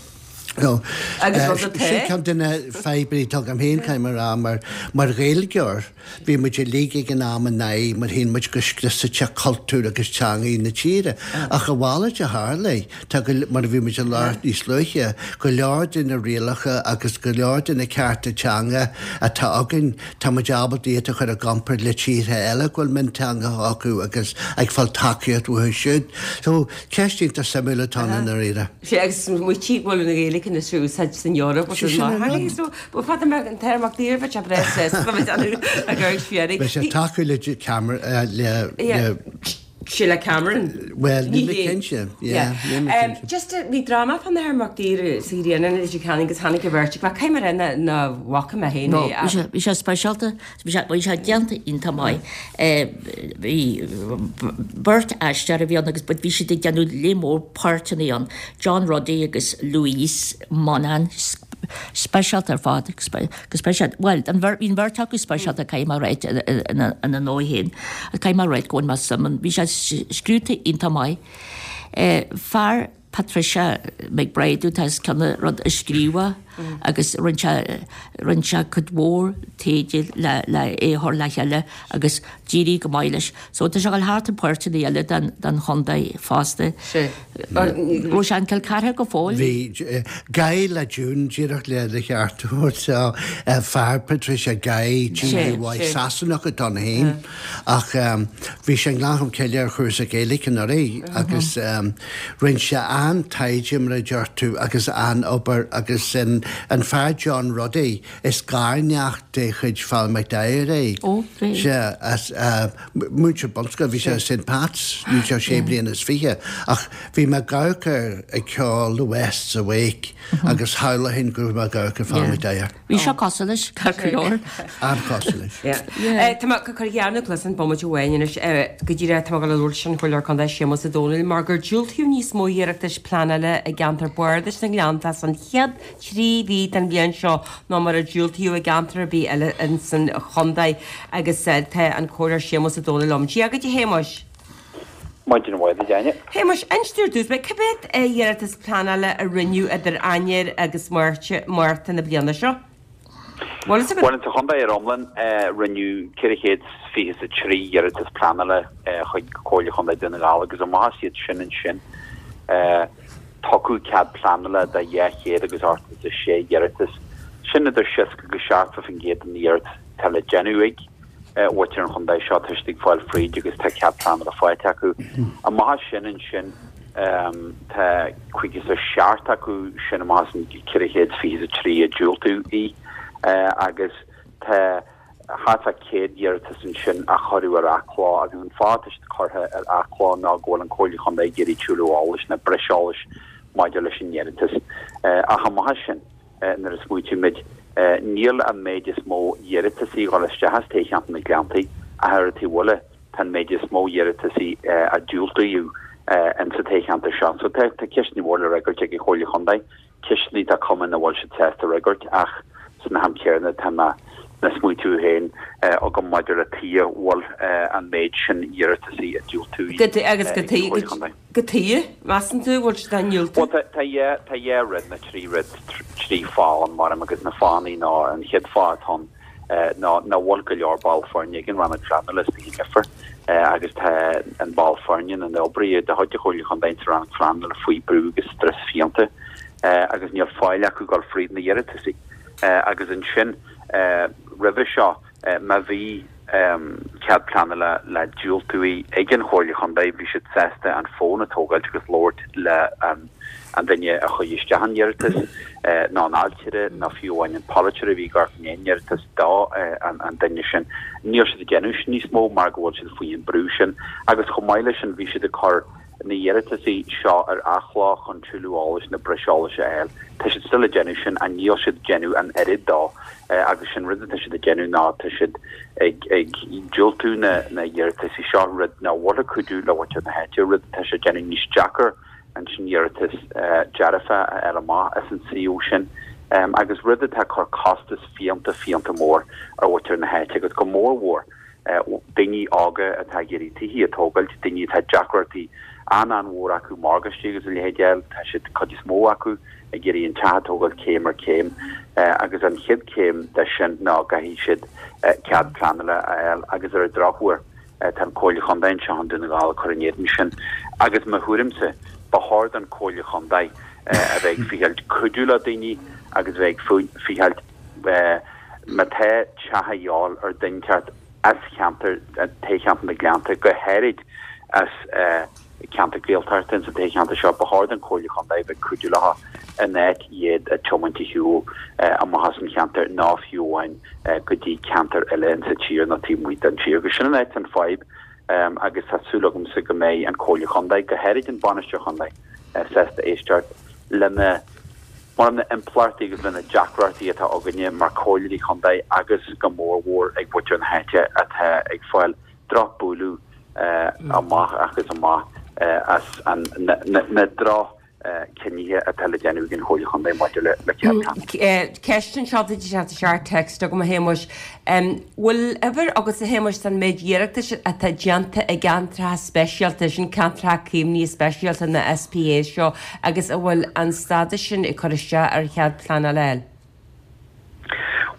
So, Agus rud atá. Sin ceann de na fadhbanna atá agam féin, caithfidh mé a rá, mar, mar Ghaeilgeoir, bhí muid uilig ag an am in aghaidh mar shíl muid go scriosfadh sé cultúr agus teangaí na tíre. Ach a mhalairt a tharla, tá go, mar a bhí muid ag labhairt níos luaithe, go leor de na rialacha agus go leor de na cearta teanga atá againn, tá muid ábalta iad a chur i gcomparáid le tíortha eile go bhfuil mionteangacha acu agus ag fáil tacaíocht uathu siúd. So, ceist iontach suimiúil atá ann i ndáiríre. Sea, agus smaoitigh go bhfuil an Ghaeilge anois á úsáid san Eoraip agus Sin an rud. So, ba fada mbeadh an t-aer Mac Diarmait a breith sásta le bheith ag amharc siar. Beidh sé tacú le Cameron, le, le. Sé le Cameron. Bhuel, níl mé cinnte. Yeah, níl mé cinnte. Just, bhí dráma fán Athair Mac Diarmait sa Ghrianán i Leitir Ceanainn agus tháinig an bheirt ag, caithfidh mé a rá nach bhfaca mé féin é. No, bhí sé speisialta. Bhí sé, bhí sé déanta iontach maith. Bhí beirt aisteoir a bhí ann agus but bhí siad ag déanamh léar mór páirteanna ann, John Ruddy agus Louise Monaghan, speisialta ar fad, go speisialta, bhuel, an bheirt, bhí an bheirt acu speisialta caithfidh mé a ráit ina ndóigh féin, caithfidh mé a ráit go bhfuil mé suim ann, bhí sé scríobhta iontach maith. Fear. Patricia McBride atá os cionn an rud a scríobh agus rinne sé, rinne sé cuid mhór taighde le, le é a chur le chéile agus d'éirigh go maith leis. So tá sé ag dul thart i páirteanna eile den, den chontae fosta. Sea. Raibh sé in Cill Chartha go fóill? Bhí. Guy le June, díreach le do cheartú, so fear Patricia, Guy, G-U-Y, Sasanach atá ann féin. Ach bhí sé i nGleann Cholm Cille ar chúrsa Gaeilge anuraidh agus rinne sé an-taighde mar a deir tú agus an-obair agus an fear John Ruddy, is garneacht de chuid Father McDyer é. Ó, bhí. Sea, as múinteoir bunscoile, bhí sé i St Pat's, níl sé sé bliana is fiche, ach bhí mé ag amharc air ag ceol The West's Awake agus shamhlóinn go raibh mé ag amharc ar Father McDyer. Bhí sé cosúil leis, ceart go leor. An-chosúil leis. Tá mé ag cur dhearna cluasáin bomaite amháin anois go díreach tá mé ag dul a labhairt leis an Chomhairleoir Contae Séamus Ó Domhnaill mar gur diúltaíodh níos mó iarratais pleanála i gceantar bardais na nGleanntach san chéad 3 mhí den bhliain seo ná mar a diúltaíodh i gceantar ar bith eile insan chontae agus tá an Comhairleoir Séamus Ó Domhnaill liom. Dia dhuit a Shéamuis. Maidin mhaith duit, Áine. Shéamuis, inis dúinn ar dtús, cé mhéad iarratas pleanála a rinneadh idir Eanáir agus Márta na bliana seo? Bhfuil fhios agat? Bhuel, sa chontae ar iomlán, rinneadh 423 iarratas pleanála chuig Comhairle Chontae Dhún na nGall agus amach as iad sin ansin, tugadh cead pleanála do 200 agus 86 iarratas. Sin idir 60 agus 70% de na hiarratais atá le déanamh ag. mhuintir an chontae seo, tá siad ag fáil fríd agus tá cead pleanála faighte acu. Amach as sin ansin tá 57 acu sin amach as an 423 a diúltaíodh í agus tá thart fá 100 iarratas ansin a cuireadh ar athló agus an fáth atá siad curtha ar athló ná go bhfuil an Comhairle Chontae ag iarraidh tuilleadh eolais nó breis eolais maidir leis an iarratas. Ach amach as sin. Nuair a smaoitímid, níl an méid is mó iarratasaí ag dul isteach as toghcheantar na Gleanntaí, ach ar an taobh eile, tá an méid is mó iarratasaí a diúltaíodh in sa toghcheantar seo. So tá ceisteanna móra le fhreagairt ag an Chomhairle Chontae, ceisteanna atá cuma nach bhfuil siad sásta a fhreagairt ach san am céanna tá mé na smaoitiú féin agam maidir le tuige a bhfuil an méid sin iarratasaí a diúltaíodh ag an Chomhairle Chontae. Cad chuige, measann tú, bhfuil siad á ndiúltú? Bhuel, tá tá dhá rud, nó trí rud, trí fáth ann, maram, agus na fáthanna ná, an chéad fáth atá ann ná nach bhfuil go leor ball foirne ag an Rannóg Phleanála istigh in Leifear agus tá an ball foirne na n-oibrithe de chuid an Chomhairle Chontae sa Rannóg Phleanála faoi brú agus strus fiánta agus níl faill acu dul fríd na hiarratasaí. Agus ansin, roimhe seo, Má bhí cead pleanála le diúltú ag an Chomhairle Chontae, bhí siad sásta an fón a tógáilt agus labhairt le an duine a chuir isteach an iarratas, nó an ailtire, nó fiú amháin an polaiteoir a bhí ag amharc i ndiaidh an iarratas do an duine sin. Níl siad ag déanamh sin níos mó mar go bhfuil siad faoi an brú sin. Agus chomh maith leis sin, bhí siad ag cur na hiarratasaí seo ar athló chun tuilleadh eolais nó breis eolais a fháil. Tá siad still ag déanamh sin ach níl siad ag déanamh an oiread dó agus sin rud atá siad ag déanamh ná tá siad ag ag diúltú na na hiarratasaí seo, rud nach bhfuil ag cuidiú le muintir na háite, rud atá sé ag déanamh níos deacair ansin iarratas dearfa a fháil amach as an suíomh sin agus rud atá ag cur costas fiánta fiánta mór ar mhuintir na háite agus go mór mhór. Daoine óga atá ag iarraidh tithe a tógáilt, daoine atá deacrachtaí an-an-mhór acu morgáistí agus a leithéid a fháil, tá siad, cuid is mó acu, ag iarraidh an teach a tógáilt céim ar chéim agus an chéad chéim de sin ná go gcaithfidh siad cead pleanála a fháil agus ar an drochuair tá an Comhairle Chontae anseo i nDún na nGall ag cur in éadan sin agus mo thuairimse ba chóir don Comhairle Chontae a bheith ag ficheáilt cuidiú le daoine agus a bheith ag ficheáilt má tá teach a dhíobháil ar duine inteacht as cheantar toghcheantar na Gleannta go háirid as ceantar Gaeltachta ins an toghcheantar seo, ba chóir don Chomhairle Chontae bheith ag cuidiú leo in áit iad a tiomáint ar shiúl amach as an cheantar nó fiú amháin go dtí ceantar eile ins an tír nó taobh amuigh den tír. Agus sin an áit an fadhb agus tá súil agamsa go mbeidh an Comhairle Chontae, go háirid an Bainisteoir Chontae, sásta éisteacht lena mar na impleachtaí agus lena deacrachtaí atá againne mar Chomhairleoirí Chontae agus go mór mhór ag mhuintir na háite atá ag fáil drochbhualadh amach agus amach as na droch chinnithe atá le déanamh ag an Chomhairle Chontae maidir le cead pleanála. Ceist anseo atá teacht isteach text agam a Shéamuis. Bhfuil uimhir agat a Shéamuis den méid iarratais atá déanta i gceantracha speisialta, sin ceantracha caomhnaithe speisialta na SPAs seo agus an bhfuil an stádas sin ag cur isteach ar chead pleanála a fháil?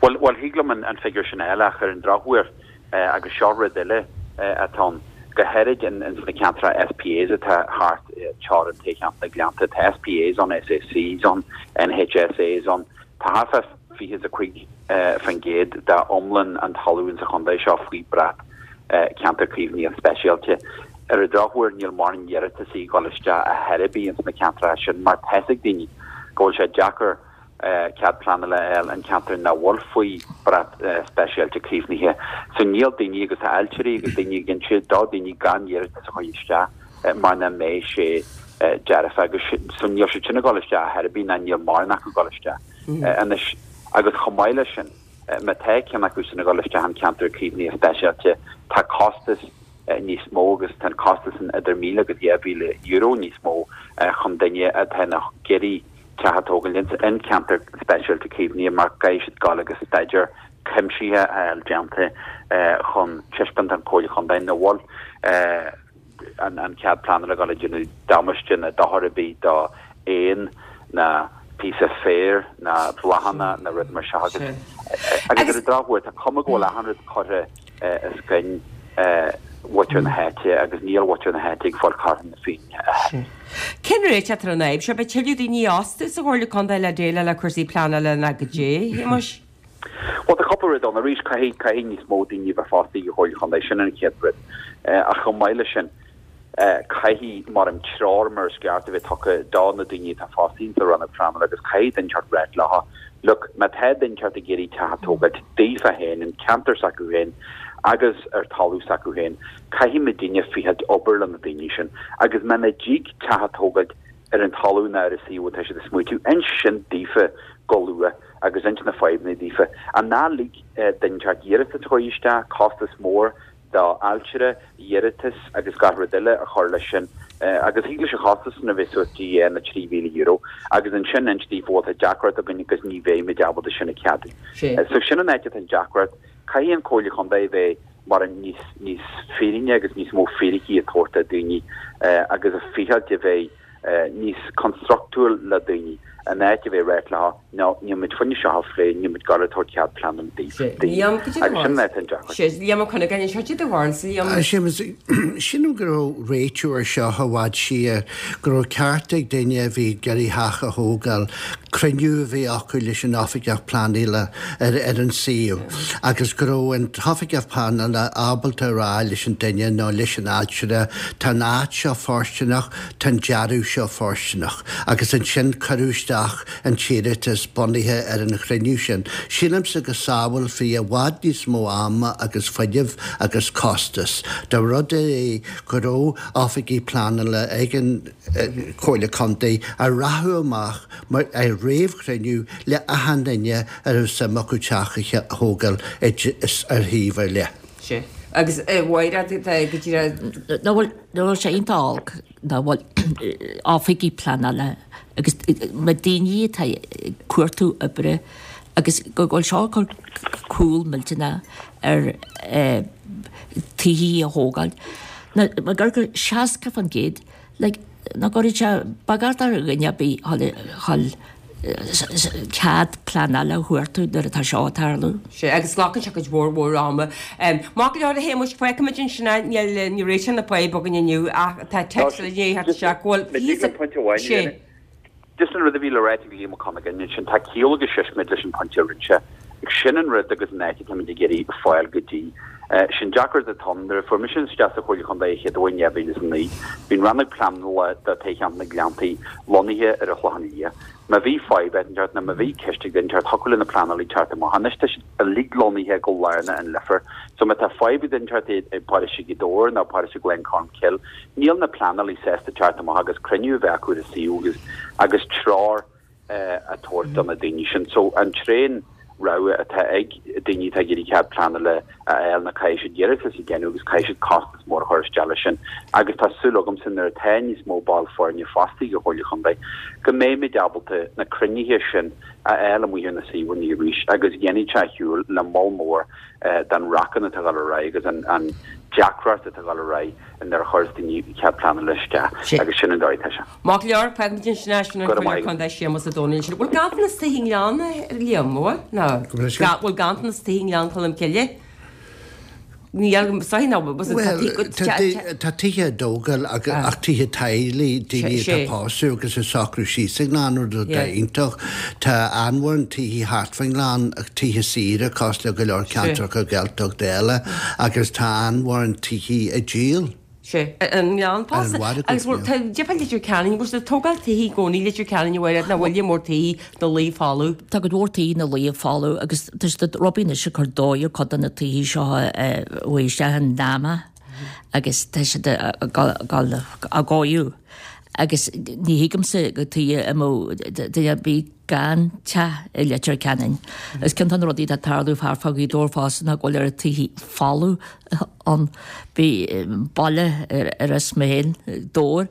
Bhuel, bhuel, thig liom an figiúr sin a fháil ach ar an drochuair, agus seo rud eile atá ann, go háirid ins na ceantracha SPAs atá thart teorainn toghcheantar na Gleannta, tá SPAs ann, SACs ann, NHSAs ann, tá thart fá 25% d'iomlán an talamh insa chontae seo faoi bhrat ceantar caomhnaithe speisialta. Ar an drochuair níl mórán iarratasaí ag dul isteach ar chor ar bith ins na ceantracha sin mar tá fhios ag daoine go bhfuil sé deacair cead pleanála a fháil in ceantar nach bhfuil faoi bhrat speisialta caomhnaithe. So níl daoine agus tá ailtirí agus daoine ag inse do daoine gan iarratas a chur isteach mar nach mbeidh sé dearfa agus so níl siad sin ag dul isteach ar chor ar bith ná níl mórán acu ag dul isteach anois agus chomh maith leis sin má tá ceann acu sin ag dul isteach in ceantar caomhnaithe speisialta tá costas níos mó agus tá an costas sin idir 1,000 agus €2,000 níos mó chun duine atá ag iarraidh teach a tógáil in ceantar speisialta caomhnaithe mar caithfidh siad gabháil agus staidéar cuimsithe a fháil déanta chun taispeáint don Chomhairle Chontae nach bhfuil an cead pleanála ag gabháil a dhéanamh damáiste ná dochar ar bith do éin ná píosa féir ná bláthanna ná rud mar seo agus agus ar an drochuair tá cuma go bhfuil achan rud curtha os coinne mhuintir na háite agus níl muintir na háite ag fáil cothrom na Féinne. Cén réiteach atá ar an fhadhb seo? Beidh tuilleadh daoine a fhostú sa Chomhairle Contae le déileáil le cúrsaí pleanála ná goidé, a Shéamuis? Bhuel, tá cúpla rud ann. Arís, caithfidh, caithfidh níos mó daoine a bheith fostaithe ag an Chomhairle Chontae, sin an chéad rud. Ach chomh maith leis sin, caithfidh, mar an treoir mar is ceart a bheith tugtha do na daoine atá fostaithe sa rannóg pleanála agus caithfidh duine inteacht ráit leo, look, má tá duine inteacht ag iarraidh teach a tógáilt daofa féin, in ceantar s'acu féin agus ar talamh s'acu féin, caithfidh muidinne ficheáilt obair le na daoine sin agus muna dtig teach a tógáilt ar an talamh ná ar an suíomh atá siad ag smaoitiú, inis sin daofa go luath agus inis na fadhbanna daofa. Ach ná lig duine inteacht iarratas a chur isteach, costas mór do ailtire, iarratas agus gach rud eile a chur leis sin agus thig leis an chostas sin a bheith suas dtí na €3,000 agus ansin inis daofa bhuel tá deacracht againn agus ní bheidh muid ábalta sin a cheadú. So sin an áit atá an deacracht. Caithfidh an Comhairle Chontae a bheith mar an níos níos fírinne agus níos mó fíricí a tabhairt do daoine agus a ficheáilt a bheith níos construchtúil le daoine, in áit a bheith ag ráit leo, no, níl muid fá choinne seo a phlé, níl muid ag gabháil a tabhairt cead pleanála daoibh. Liam, cad é do Agus sin an áit an deacracht. Sea, Liam Ó Cuinneagáin, anseo, cad é do bharúilsa, Liam? Séamus, sílim go raibh réiteach ar seo i bhfad siar, go raibh ceart ag duine a bhí ag iarraidh theach a thógáil, cruinniú a bheith acu leis an oifigeach pleanála ar ar an suíomh agus go raibh an t-oifigeach pleanála ábalta a rá leis an duine nó leis an ailtire tá an áit seo fóirsteanach, tá an dearadh seo fóirsteanach agus ansin cuireadh isteach an t-iarratas bunaithe ar an chruinniú sin. Sílimse go sábhálfaí i bhfad níos mó ama agus fuinnimh agus costas dá rud é go raibh oifigigh pleanála ag an Chomhairle Contae a rachadh amach mar ar réamhchruinniú le achan duine a raibh suim acu teach a thógáil ar shuíomh ar leith. Sea. Agus a Mháire, tá go díreach. Nach bhfuil, nach bhfuil sé iontach olc nach bhfuil oifigigh pleanála agus na daoine atá ag cuartú oibre. Agus go bhfuil seo ag cur cúl millteanach ar tithí a thógáil. Now, mar gur 60%, like, nach gcuirfidh sé baghcat ar dhuine ar bith a dhul cead pleanála a thabhairt nuair atá seo ag tarlú. Sea, agus glacann sé cuid mhór mhór ama. Maith go leor a Shéamuis, fágfaimid ansin é, níl, ní réiteoidh na fadhb againn inniu ach tá téacs eile i ndiaidh theacht isteach go bhfuil píosa, sea. Just an rud a bhí le ráit ag Liam Ó Cuinneagáin ansin, tá ciall agus siosméid leis an pointe a rinne sé. Sin an rud agus an áit atáimid ag iarraidh fáil go dtí. Sin deacracht atá ann. Nuair a fuair mise isteach sa Chomhairle Chontae an chéad uair in 2009, bhí an rannóg pleanála do toghcheantar na Gleanntaí lonnaithe ar an Chlochán Liath. Má bhí fadhb inteacht nó má bhí ceist ag duine inteacht, thiocfadh le na pleanálaí teacht amach. Anois tá siad uilig lonnaithe go lárnach in Leifear. So má tá fadhb ag duine inteacht i bparóiste Ghaoth Dobhair nó paróiste Ghleann Cholm Cille, níl na pleanálaí sásta teacht amach agus cruinniú a bheith acu ar an suíomh agus agus treoir a tabhairt do na daoine sin. So an t-aon rogha atá ag daoine atá ag iarraidh cead pleanála a fháil ná caithfidh siad iarratas a dhéanamh agus caithfidh siad costas mór a chur isteach leis sin. Agus tá súil agamsa nuair atá níos mó ball foirne fostaithe ag an Chomhairle Chontae go mbeimid ábalta na cruinnithe sin a fháil amuigh ar na suíomhanna arís agus dhéanfaidh sé ar shiúl le moll mór den racán atá ag dul ar aghaidh agus an deacracht atá ag dul ar aghaidh nuair a chuireas daoine cead pleanála isteach agus sin an dóigh atá sé. Maith go leor, fágfaimid ansin é sin an Comhairleoir Contae Séamus Ó Domhnaill ansin. Bhfuil ganntanas tithe i nGleann, a Liam, bhfuil? Nó bhfuil ganntanas tithe i nGleann Cholm Cille? Níl, sorry, nó Bhuel, tá tithe á dtógáil ach tithe teaghlaigh, daoine atá ag pósadh agus ag socrú síos sa nGleann, rud atá iontach. Tá an-mhórán tithe thart fán nGleann, tithe saoire cosúil le go leor ceantracha Gaeltachta eile agus tá an-mhórán tithe á díol. Sea, an nGleann fosta. Agus bhfuil, tá difear Leitir Ceanainn, bhfuil siad ag tógáil tithe i gcónaí Leitir Ceanainn a Mhairéad, nó bhfuil mór tithe ina luí folamh? Tá cuid mhór tithe ina luí folamh agus tá siad ag robaí anois ag cur dóigh ar cuid de na tithe seo a chuaigh isteach in NAMA agus tá siad ag dul á gcóiriú agus ní thuigimse go tuige a mbeadh duine ar bith gan teach i Leitir Ceanainn. Is ceann de na rudaí atá ag tarlú thart fá Ghaoth Dobhair fosta ná go bhfuil oiread tithe folamh ann. Bhí baile ar as mé féin, Dobhar,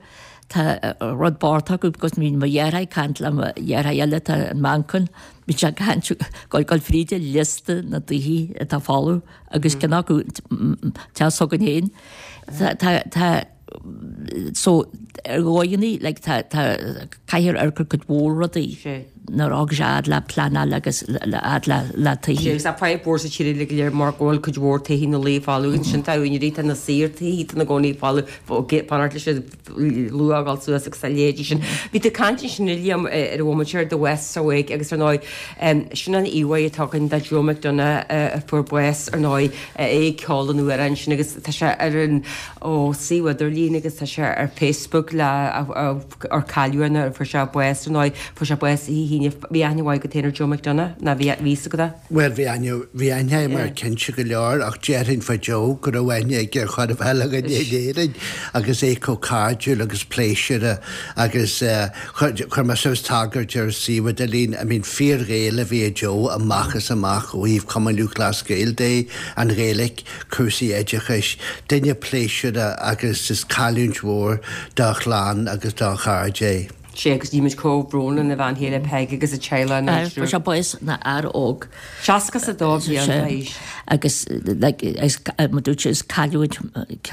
tá rud bocht acu because bhí mo dheartháir ag caint le mo dheartháir eile atá i Manchain, bhí sé ag caint ag dul fríd liosta na dtithe atá folamh agus ceann acu teach s'againn féin. Tá, tá, So, ar dhóigheanna, like, tá, tá, caithfear amharc ar cuid mhór rudaí nuair a thagann sé fhad le pleanáil agus le fhad le, le tithe. Sea, agus tá fadhb mhór sa tír uilig go léir mar go bhfuil cuid mhór tithe ina luí folamh ansin tá úinéirí, tá na saoir tithe ina gcónaí folamh, fanacht leis an luach a dhul suas agus a leithéidí sin. Bhí tú ag caint ansin, a Liam, ar an bhomaite ar The West's Awake agus ar ndóigh, sin an íomhá atá againn de Joe McDonagh a fuair bás ar ndóigh, é ag ceol an amhráin sin agus tá sé ar an ó suíomh idirlín agus tá sé ar Facebook le ar cailleadh é nuair a fuair sé bás ar ndóigh fuair sé bás oíche hAoine bhí aithne mhaith agat féin ar Joe McDonagh nó bhí bhí fhios agat é? Bhuel bhí aithne bhí aithne agam air cinnte go leor ach déarfainn fá Joe go raibh aithne aige ar chóir a bheith le dhuine in Éirinn agus é chomh cairdiúil agus pléisiúrtha agus chuir mé suas tagairt ar suíomh idirlín I mean fíor-Ghael a bhí i Joe amach is amach ó thaobh Cumann Lúthchleas Gael de, an Ghaeilge, cúrsaí oideachais, duine pléisiúrtha agus is cailliúint mhór dá chlann agus dá chairde é. Sea, agus guímid comhbhrón lena bhean chéile Peig agus a teaghlach anois. Fuair sé bás ina fhear óg. 62 bliain d'aois. Agus like is mar dúirt sé is cailliúint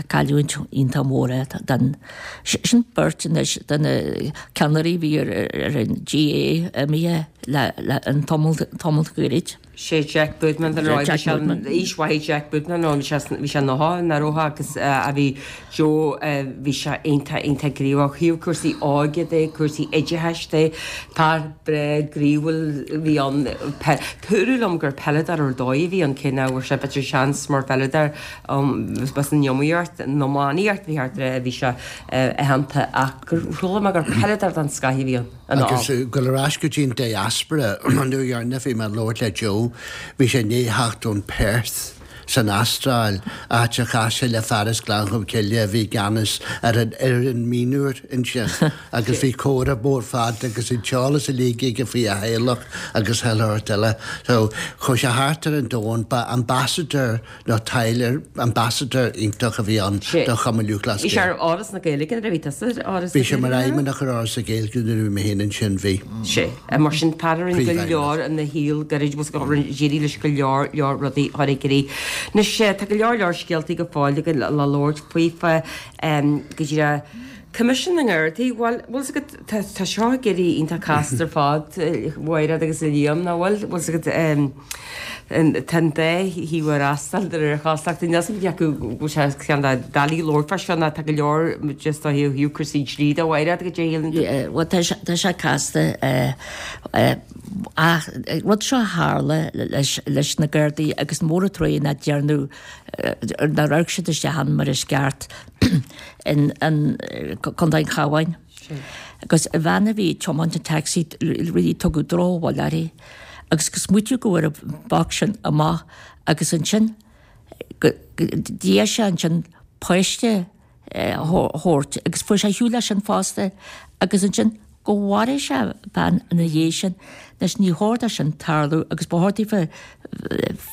cailliúint iontach mór é don sin beirt anois de na ceannairí a bhí ar ar an GAA imithe le le an tamall tamall gairid. Sé Jack Boodman den ráig, bhí sé aois mhaith Jack Boodman ann, bhí sé bhí sé 90 nach raibh agus a bhí Joe bhí sé iontach iontach gníomhach ó thaobh cúrsaí óige de, cúrsaí oideachais de, fear breá gnaíúil a bhí ann. Dúradh liom gur peileadóir ar dóigh a bhí ann cé nach bhfuair sé b'fhéidir seans mar pheileadóir b'as an iomaíocht, an iománaíocht bhí thart ar a bhí sé aitheanta ach gur chuala mé gur peileadóir den scoth a bhí ann. Agus dul ar ais go dtí an diaspora, an uair dheireanach a bhí mé ag labhairt le Joe, bhí sé i ndiaidh theacht ón Perth. san Astráil, áit a chas sé le fear as Gleann Cholm Cille a bhí i gceannas ar an fhoireann mionúir ansin agus bhí comhrá mór fada agus an t-eolas uilig aige faoi a theaghlach agus chuile shórt eile. So, chuaigh sé thart ar an domhan, ba ambassador nó taidhleoir, ambassador iontach a bhí ann do Chumann Lúthchleas Bhí sé ar Fhoras na Gaeilge nuair a bhí tusa ar Fhoras na Bhí sé mar fheidhmeannach ar Fhoras na Gaeilge nuair a bhí mé féin ansin, bhí. Sea. Mar sin, fear a rinne go leor ina shaol gairid, bhfuil a fhios agat, d'éirigh leis go leor, leor rudaí a chur i gcrích. Anois, tá go leor, leor scéaltaí go fóill againn le labhairt faoi, fá, go díreach, Coimisiún na nGardaí, bhuel, bhfuil a fhios agat, tá, tá seo ag éirí iontach casta ar fad, a Mhairéad agus a Liam, nach bhfuil? Bhfuil a fhios agat, tá an dá thaobh ag fhreastal de réir chosúlachta. Níl a fhios agam cé acu bhfuil sé ceann de doiligh labhairt fá seo nó tá go leor just ó thaobh cúrsaí dlí de a Mhairéad, goidé a shíleann tú? Bhuel, tá sé, tá sé casta, ach rud seo a tharla leis, leis na Gardaí agus mór an truaighe nach ndearnadh, nár amharc siad isteach ann mar is ceart. in Contae an Chabháin. Agus an bhean a bhí ag tiomáint an taxi really tugadh drochbhuille uirthi agus go smaoitiú go bhfuair an boc sin amach agus ansin d'iarr sé ansin páiste a thabhairt agus fuair sé ar shiúl leis sin fosta agus ansin go mharaigh sé bean ina dhiaidh sin. Anois ní chóir dó sin tarlú agus ba chóir daofa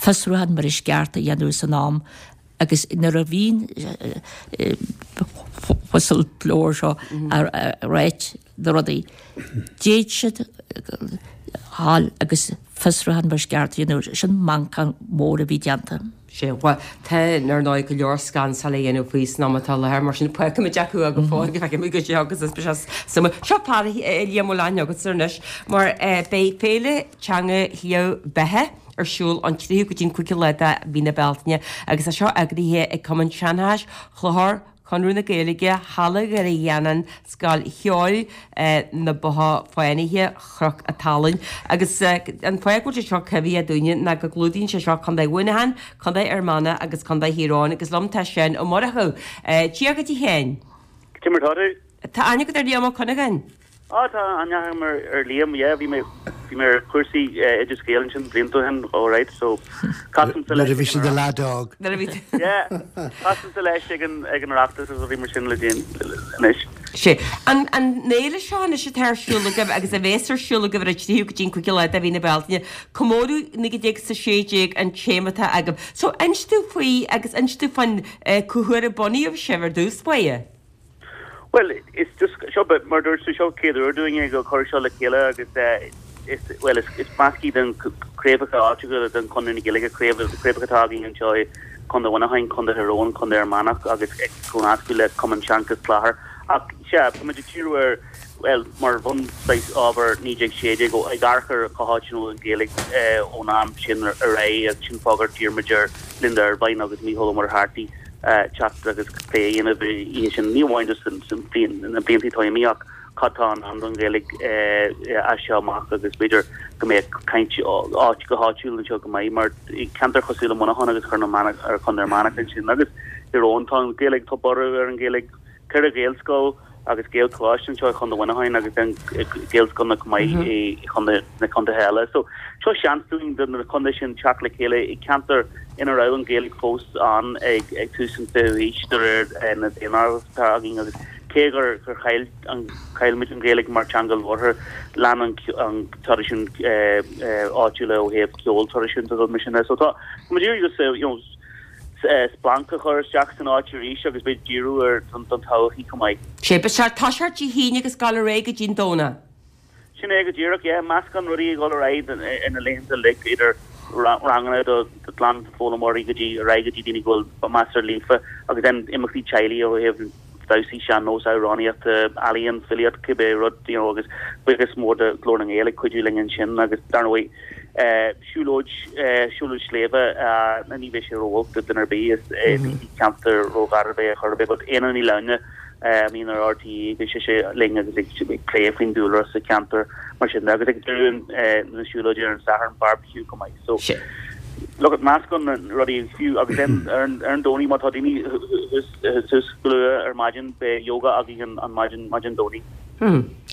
fiosrúchán mar is ceart a dhéanamh san am Agus nuair a bhíonn whistleblower seo ag ráit na rudaí, d'fhéad siad dhul agus fiosrúchán mar is ceart a dhéanamh. Sin manchán mór a bhí déanta. Sea, bhuel, tá, ar ndóigh, go leor scansáil á dhéanamh faoi san am atá i láthair, mar sin fágfaimid acu go fóill go bhfeicfimid goidé agus is beidh sé suimiúil. Seo fear a Liam a bhfuil aithne agatsa anois, mar beidh Féile Teanga Shliabh Beatha, ar siúl ón 3ú go dtí an 5ú lá de mhí na Bealtaine agus tá seo eagraithe ag Cumann Seanchais Chlochair, Conradh na Gaeilge, Halla Dhoire Gheanáin, Scoil Cheoil na Botha Fánaithe, Chnoc a' tSalainn. Agus an fáth go bhfuil sé seo cuimhneach dúinne ná go gclúdaíonn sé seo Contae Mhuineacháin, Contae Fhear Manach agus Contae Thír Eoghain agus liom tá Seán Ó Murchú. Dia dhuit a Sheáin. Cad é mar tá tú? Tá aithne agat ar Liam Ó Cuinneagáin? Á, tá aithne agam ar Liam, yeah, bhí mé, bhí mé ar chúrsaí Oideas Gael ansin blianta ó shin, alright, so casaimse leis Nuair a bhí sé ina leaid óg. Nuair a bhí tú. Yeah, casaimse leis ag an, ag an Oireachtas agus rudaí mar sin le déan, anois. Sea. An, an fhéile seo anois atá ar siúl agaibh agus a bhéas ar siúl agaibh ar an 3ú go dtí an 5ú lá de mhí na Bealtaine, comóradh 1916 an téama atá agaibh. So, inis dúinn faoi agus inis dúinn faoin, cá huair a bunaíodh sibh ar dtús báire? Bhuel, is just, seo, mar a dúirt tú, seo chéad uair dúinn ag cur seo le chéile agus is, bhuel, is, is measctha den craobhacha áitiúla den Chonradh na Gaeilge, craobh, craobhacha atá againn anseo i Contae Mhuineacháin, Contae Thír Eoghain, Contae Fhear Manach agus ag comhnascadh le Cumann Seanchas Chlochair. Ach, sea, tá muid ag díriú ar, bhuel, mar bhun saghas ábhar 1916, ó, ag amharc ar cá háit a bhfuil an Ghaeilge ón am sin ar aghaidh agus sin fáth gur d'iarr muid ar Linda Ervine agus Mícheál Ó Muircheartaigh teacht agus plé a dhéanamh oíche sin, ní amháin just na blianta atá imithe ach cad tá i ndán don Ghaeilge as seo amach agus b'fhéidir go mbeadh caint áit go háitiúil anseo go maith mar i ceantair cosúil le Muineachán agus ar Chontae Fhear Manach ansin agus Thír Eoghain tá an Ghaeilge, tá borradh ar an Ghaeilge, 4 Ghaelscoil agus Gaelcholáiste anseo i Chontae Mhuineacháin agus then Gaelscoileanna chomh maith i chontae na contaetha eile. So seo seans dúinn do na contaetha sin teacht le chéile i gceantar ina raibh an Ghaeilge fós ann ag ag tús an 20ú haois de réir na daonáireamh atá againn agus cé gur gur chaill an chaill muid an Ghaeilge mar teanga labhartha lean an an traidisiún áitiúla ó thaobh ceol traidisiúnta agus mar sin de. So tá muid ag iarraidh just you know splanc a chur isteach san áit arís agus beidh díriú ar don todhchaí chomh maith. Sé, beidh sé ag toiseacht Dé hAoine agus ag dul ar aghaidh go dtí an Domhnach. Sin é go díreach, yeah, meascán rudaí ag dul ar aghaidh ar na laethanta uilig, idir ranganna do ghlanfhoghlaimeoirí go dtí ar aghaidh go dtí daoine go bhfuil measartha líofa agus then imeachtaí teaghlaigh ó thaobh damhsaí sean-nós, amhránaíocht, ealaíon, filíocht, cibé rud, you know, agus buíochas mór do Ghlór na nGael ag cuidiú linn ansin agus dar ndóigh, Siúlóid, siúlóid sléibhe, ní bheidh sé ró-olc do duine ar bith, is ní ceantar ró-gharbh é ar chor ar bith, but Éanna Ní Lamhna a bhíonn ar RTÉ, beidh sise linn agus ag plé faoin dúlra sa cheantar mar sin de, agus ag deireadh na siúlóide ar an Satharn, barbecue chomh maith. So, look, meascán rudaí fiú, agus then ar an Domhnach má tá daoine suas go luath ar maidin, beidh yoga againn an maidin, maidin Domhnaigh.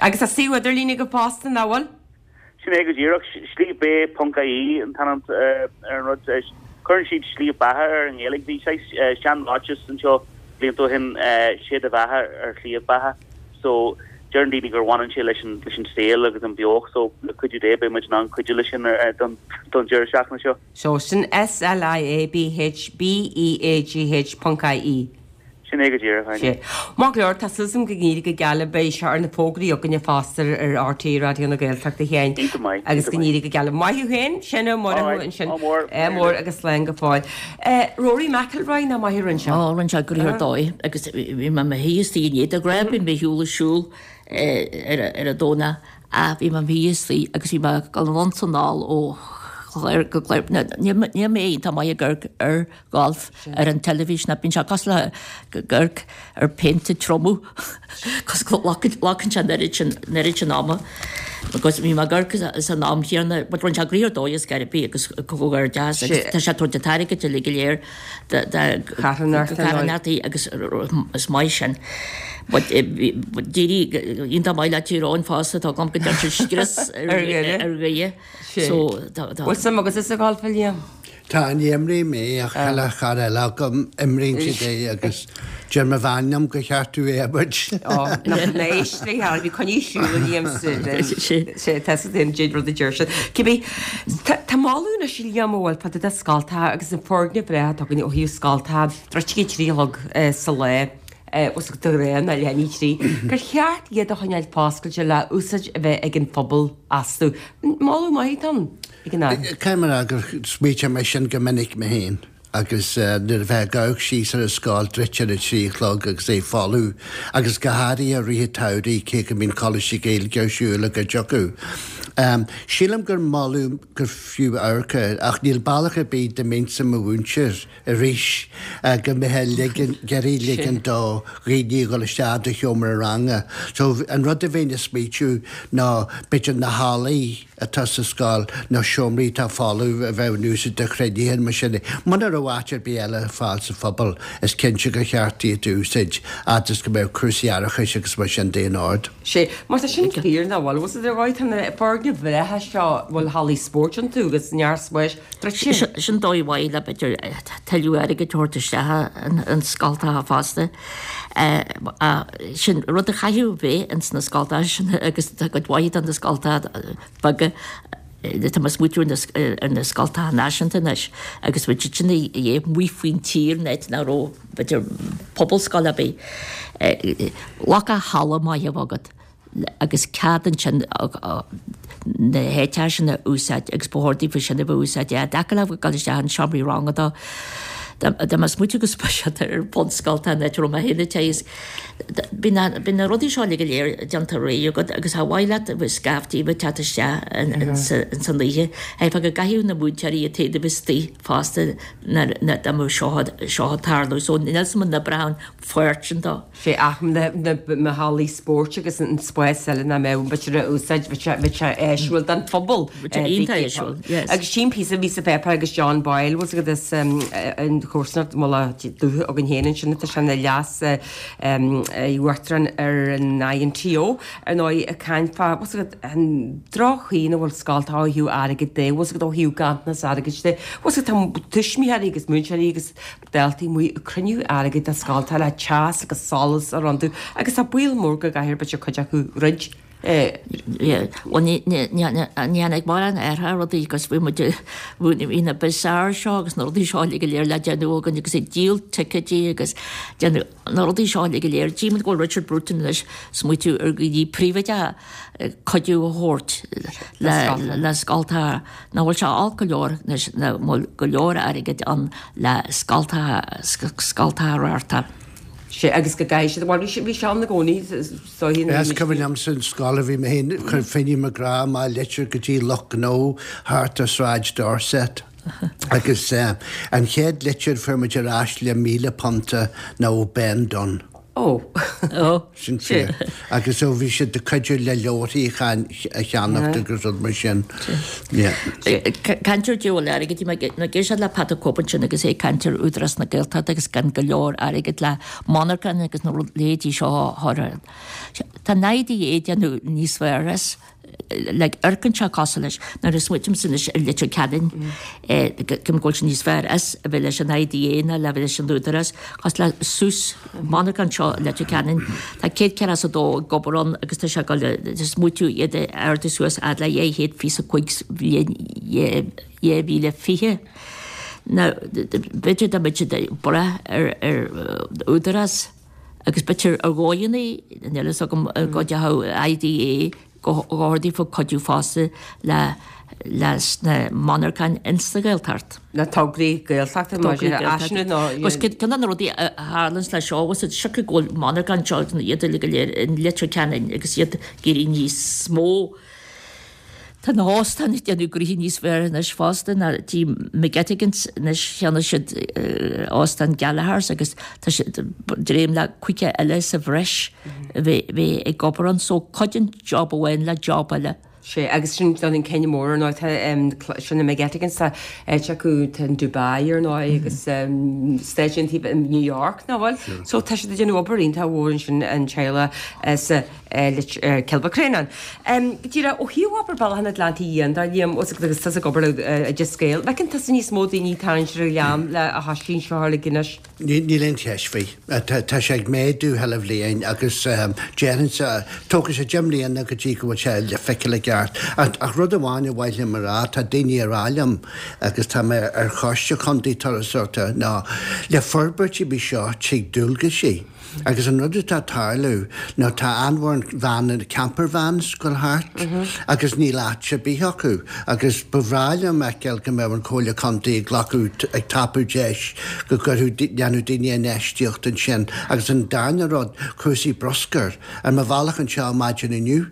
Agus tá suíomh idirlín agaibh fosta, nach bhfuil? Sin é go díreach. Sliabhbé ponc ie an t-ainm ar an rud. Cuireann siad Sliabh Beatha air i nGaeilge. Bhí saghas sean-ráiteas anseo blianta ó shin, 'Sé do bheatha ar shliabh beatha. So, deireann daoine gur bhaineann sé leis an leis an saol agus an beocht so le cuidiú Dé beidh muid in ann cuidiú leis sin don don deireadh seachtaine seo. So, sin SLIABH BEAGH ponc IE. Sin é go díreach, Áine. Sea. Maith go leor, tá súil agam go n-éirí go geal libh. Beidh sé ar na fógraí againne fosta ar RTÉ Raidió na Gaeltachta, a Sheáin. Iontach maith, Agus iontach go maith. n-éirí go geal libh. Maith thú féin, Seán Ó All right, ansin. ádh mór. Ádh mór agus slán go fóill. Rory McIlroy, nach maith a rinne sé? Ó, rinne sé gnoithe ar dóigh agus bhí mé i mo shuí istigh inné de ghnáth bím ar shiúl ag siúl ar an Domhnach ach bhí mé i mo shuí istigh agus bhí mé ag dul anonn 's anall ó chlár go clár. Níl mé iontach maith ag amharc ar golf ar an teilifís ná bíonn sé cosúil le amharc ar phéint ag triomú cos go nglacann sé an oiread sin an oiread sin ama agus bhí mé ag amharc san am chéanna but rinne sé gnoithe ar dóigh is ar bith agus comhghairdeas agus tá sé ag tabhairt an t-airgead uilig go léir do charthanachtaí agus is maith sin. But d'éirigh iontach maith le Tír Eoghain fosta tá agam go dtearn siad scrios ar Dhoire. So tá. Bhfuil suim agatsa sa gholf a Liam? Tá, ní imrím é ach chuile chara eile agam, imríonn siad é agus deir mo bhean liom gur cheart domh é a imirt. Ó, nach n-éist léi, bhí coinní siúl a Liam sé tá sa aon rud a deir siad. Cibé, tá moladh anois a Liam a bhfuil fá dtaobh de scoltacha agus an foirgneamh breá atá againn ó thaobh scoltacha, druidte ag 3 a chlog sa lá, os de ghnáth nó leath i ndiaidh 3, gur cheart iad a choinneáil foscailte le úsáid a bheith ag an phobal astu. Moladh maith atá ann. ag an Aire. Caithfidh mé a rá gur smaoitigh mé sin go minic mé féin agus nuair a bheifeá ag amharc síos ar an scoil druidte ar a 3 a chlog agus é folamh agus go háirithe i rith an tsamhraidh cé go mbíonn coláistí Gaeilge ar siúl i gcuid acu. Sílim gur moladh gur fiú amharc air ach níl bealach ar bith dá mbeinnse i mo mhúinteoir arís go mbeifeá ag iarraidh ligean do dhaoine a dhul isteach i do sheomra ranga. So an rud a bheinn ag smaoitiú ná b'fhéidir na hallaí atá sa scoil nó seomraí atá folamh a bheith in úsáid do chruinnithe mar sin. Muna raibh áit ar bith eile ar fáil sa phobal, is cinnte gur cheart iad a úsáid, fhad is go mbeadh cúrsaí árachais agus mar sin de in ord. Sea, mar tá sin fíor nach bhfuil. Bhfuil a fhios agat, tá na foirgnimh bhreátha seo a bhfuil hallaí spóirt iontu agus neart spáis druidte. Sin dóigh mhaith le b'fhéidir tuilleadh airgid a thabhairt isteach in scoltacha fosta. Sin rud a chaithfeadh bheith ins na scoltacha sin agus tá cuid mhaith de na scoltacha beaga, tá mé ag smaoitiú ar na scoltacha náisiúnta anois agus bhí siad sin a dhíth amuigh faoin tír in áit nach raibh b'fhéidir pobalscoil ar bith. Glacadh halla maith a bheith agat. agus cead ansin na háiteacha sin a úsáid agus ba chóir daofa sin a bheith úsáid i dtaca le dul isteach in seomraí ranga dá dá mbeadh smaoitiú go speisialta ar bhunscoil an áit a raibh mé féin ag teagasc. Bíonn na bíonn na rudaí seo uilig go léir déanta réidh agat agus ar mhaith leat a bheith scaiftí a bheith teacht isteach in san oíche. Cheapfá go gcaithfeadh na múinteoirí iad féin a bheith istigh fosta nuair dá mbeadh seo seo ag tarlú. So níl 's agam an oibreodh an pháirt sin dó. Sé ach na hallaí spóirt agus an spás eile nach mbeadh b'fhéidir a úsáid, bheadh sé áisiúil don phobal. Bheadh sé iontach áisiúil, yes. Agus sin píosa a bhí sa pháipéar agus John Boyle, bhfuil 's agat as an chomharsanacht Mullach Dubh againn féin ansin atá sé ina leas uachtarán ar an INTO, ar ndóigh, ag caint fá, bhfuil 's agat, an droch-chaoi ina bhfuil scoltacha ó thaobh airgid de, bhfuil 's agat ó thaobh ganntanas airgid de, bhfuil 's agat, tá tuismitheoirí agus múinteoirí agus daltaí amuigh ag cruinniú airgid do scoltacha le teas agus solas a chur iontu agus tá baol mór go gcaithfear b'fhéidir cuid acu druid. Bhuel ní tháinig mórán athrú rudaí agus bhí muid bhí na bazaar seo agus na rudaí seo uilig go léir le déanamh againn agus ag díol ticéidí agus déanamh na rudaí seo uilig go léir. Tchím go bhfuil Richard Bruton anois smaoitiú ar dhaoine príobháideacha cuidiú a thabhairt le scoltacha. Nach bhfuil sé olc go leor anois nach bhfuil go leor airgid ann le scoltacha scoltacha a reáchtáil. Sea, agus go gcaithfidh siad, bhuel bhí bhí sé ann i gcónaí is dóigh nuair a Is cuimhin liomsa an scoil a bhí mé féin, chuir Finny McGrath amach litir go dtí lucht gnó thart ar Sráid Dorset agus an chéad litir a fuair muid ar ais le £1,000 ná ó Ben Dunne. Ó. Ó. Sin fíor. Agus ó bhí siad ag cuidiú le leabharthaí a cheannacht agus rud mar sin. Yeah. Caint ar diabhal airgid, bhí mé ag éisteacht le Pat an Cope ansin agus é ag caint ar Údarás na Gaeltachta agus gan go leor airgid le monarchan agus na leithéidí seo a chur. Tá naimhde é déanamh níos fearr as. Like amharcann sé cosúil leis nuair a smaoitímse anois ar Leitir Ceanainn go bhfuil sé níos fearr as a bheith leis an IDA ná le bheith leis an Údarás cosúil le suas monarchan seo i Leitir Ceanainn tá 142 ag obair ann agus tá sé ag dul le smaoitiú iad a ardú suas fhad le 225 sa bhliain 2020. Now b'fhéidir dá mbeadh siad ag brath ar Údarás agus b'fhéidir ar dhóigheanna, níl a fhios agam go dteachaidh IDA go dhóthair fá cuidiú fosta le leis na monarcháin ins sa Ghaeltacht. Na tograí Gaeltachta mar sin áiseanna nó. Agus ceann de na rudaí a tharlaíonns leis seo, bhfuil siad siocair go bhfuil monarcháin seo iad uile go léir in Leitir Ceanainn agus iad ag éirí níos mó. Tá na hóstáin ag déanamh gnoithe níos fearr anois fosta ná tí McGettigans anois cheannaigh siad óstán Gallagher's agus tá siad dréim le 50 eile sa bhreis a bheith bheith ag obair ann so cuidíonn job amháin le job eile. Sea, agus sin don an cinneadh mór ar ndóigh tá sin na McGettigans tá áit acu tá in Dubai ar ndóigh agus stáisiún taobh in New York nach bhfuil? So tá siad ag déanamh obair iontach mhór ansin an teaghlach sa Cill Mhic Réanáin. Go díreach, ó thaobh obair Bealach an Atlantaigh Fhiáin de, Liam, agus tusa ag obair le Oideas Gael, bhfeiceann tusa níos mó daoine ag tarraingt ar an ghleann le a thoisí anseo uilig anois? Níl aon cheist faoi. Tá sé ag méadú chuile bhliain agus déarfainnse, tógfaidh sé 10 mbliana go dtí go bhfuil sé le feiceáil i gceart. Ach rud amháin ar mhaith liom a rá, tá daoine ag rá liom, agus tá mé ar choiste contae turasóireachta, ná le forbairt ar bith seo tig dualgaisí. Agus an rud atá ag tarlú ná tá an-mhórán veaineanna, camper vans, ag goil thart agus níl áit ar bith acu agus ba bhreá liom a fheiceáil go mbeadh an Comhairle Contae ag glacadh, ag tapú deis go gcuirfeadh, dhéanfadh daoine infheistíocht ansin. Agus an darna rud, cúrsaí bruscair. Ar mo bhealach anseo maidin inniu,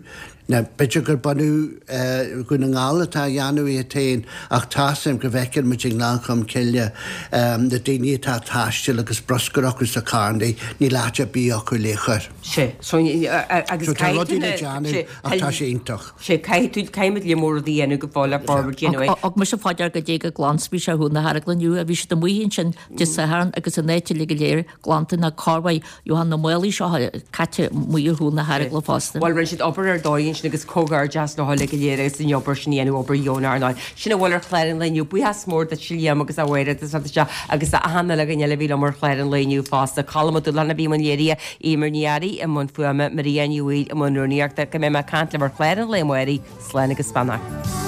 Now, b'fhéidir gur bunadh Dhún na nGall atá á dhéanamh iad féin ach tá's a'm go bhfeiceann muid i nGleann Cholm Cille na daoine atá ag taisteal agus bruscar acu sa charrannaí, níl áit ar bith acu le chur. Sea, so agus So tá caithfidh tú rudaí le na, déanamh sea, ach tá sé iontach. Sea, caithfidh tú, caithfidh muid le mór rudaí a dhéanamh go fóill le forbairt you know. Thug mise fá dear goidé chomh glan 's bhí sé ar chúl na hArglainne inniu, bhí siad amuigh ansin Dé Sathairn agus an áit uilig go léir glanta ná corrmhaith Johann na málaí seo caite amuigh ar chúl na hArgla fosta. Bhuel, rinne siad obair ar dóigh ansin agus comhghairdeas leo uilig go léir agus an obair sin a dhéanamh, obair dheonach ar ndóigh. Sin a bhfuil ar chlár an lae inniu. Buíochas mór duit Liam agus a Mháire as ucht isteach agus achan uile dhuine eile a bhí liom ar chlár an lae inniu fosta. Colm Ó Dúlacháin a bhí i mbun léirithe, Eimear Ní Fhearraigh i mbun fuaime, Maria Ní Bhaoill i mbun rúnaíochta. Go mbeidh mé ag caint libh ar chlár an lae amárach. Slán agus beannacht.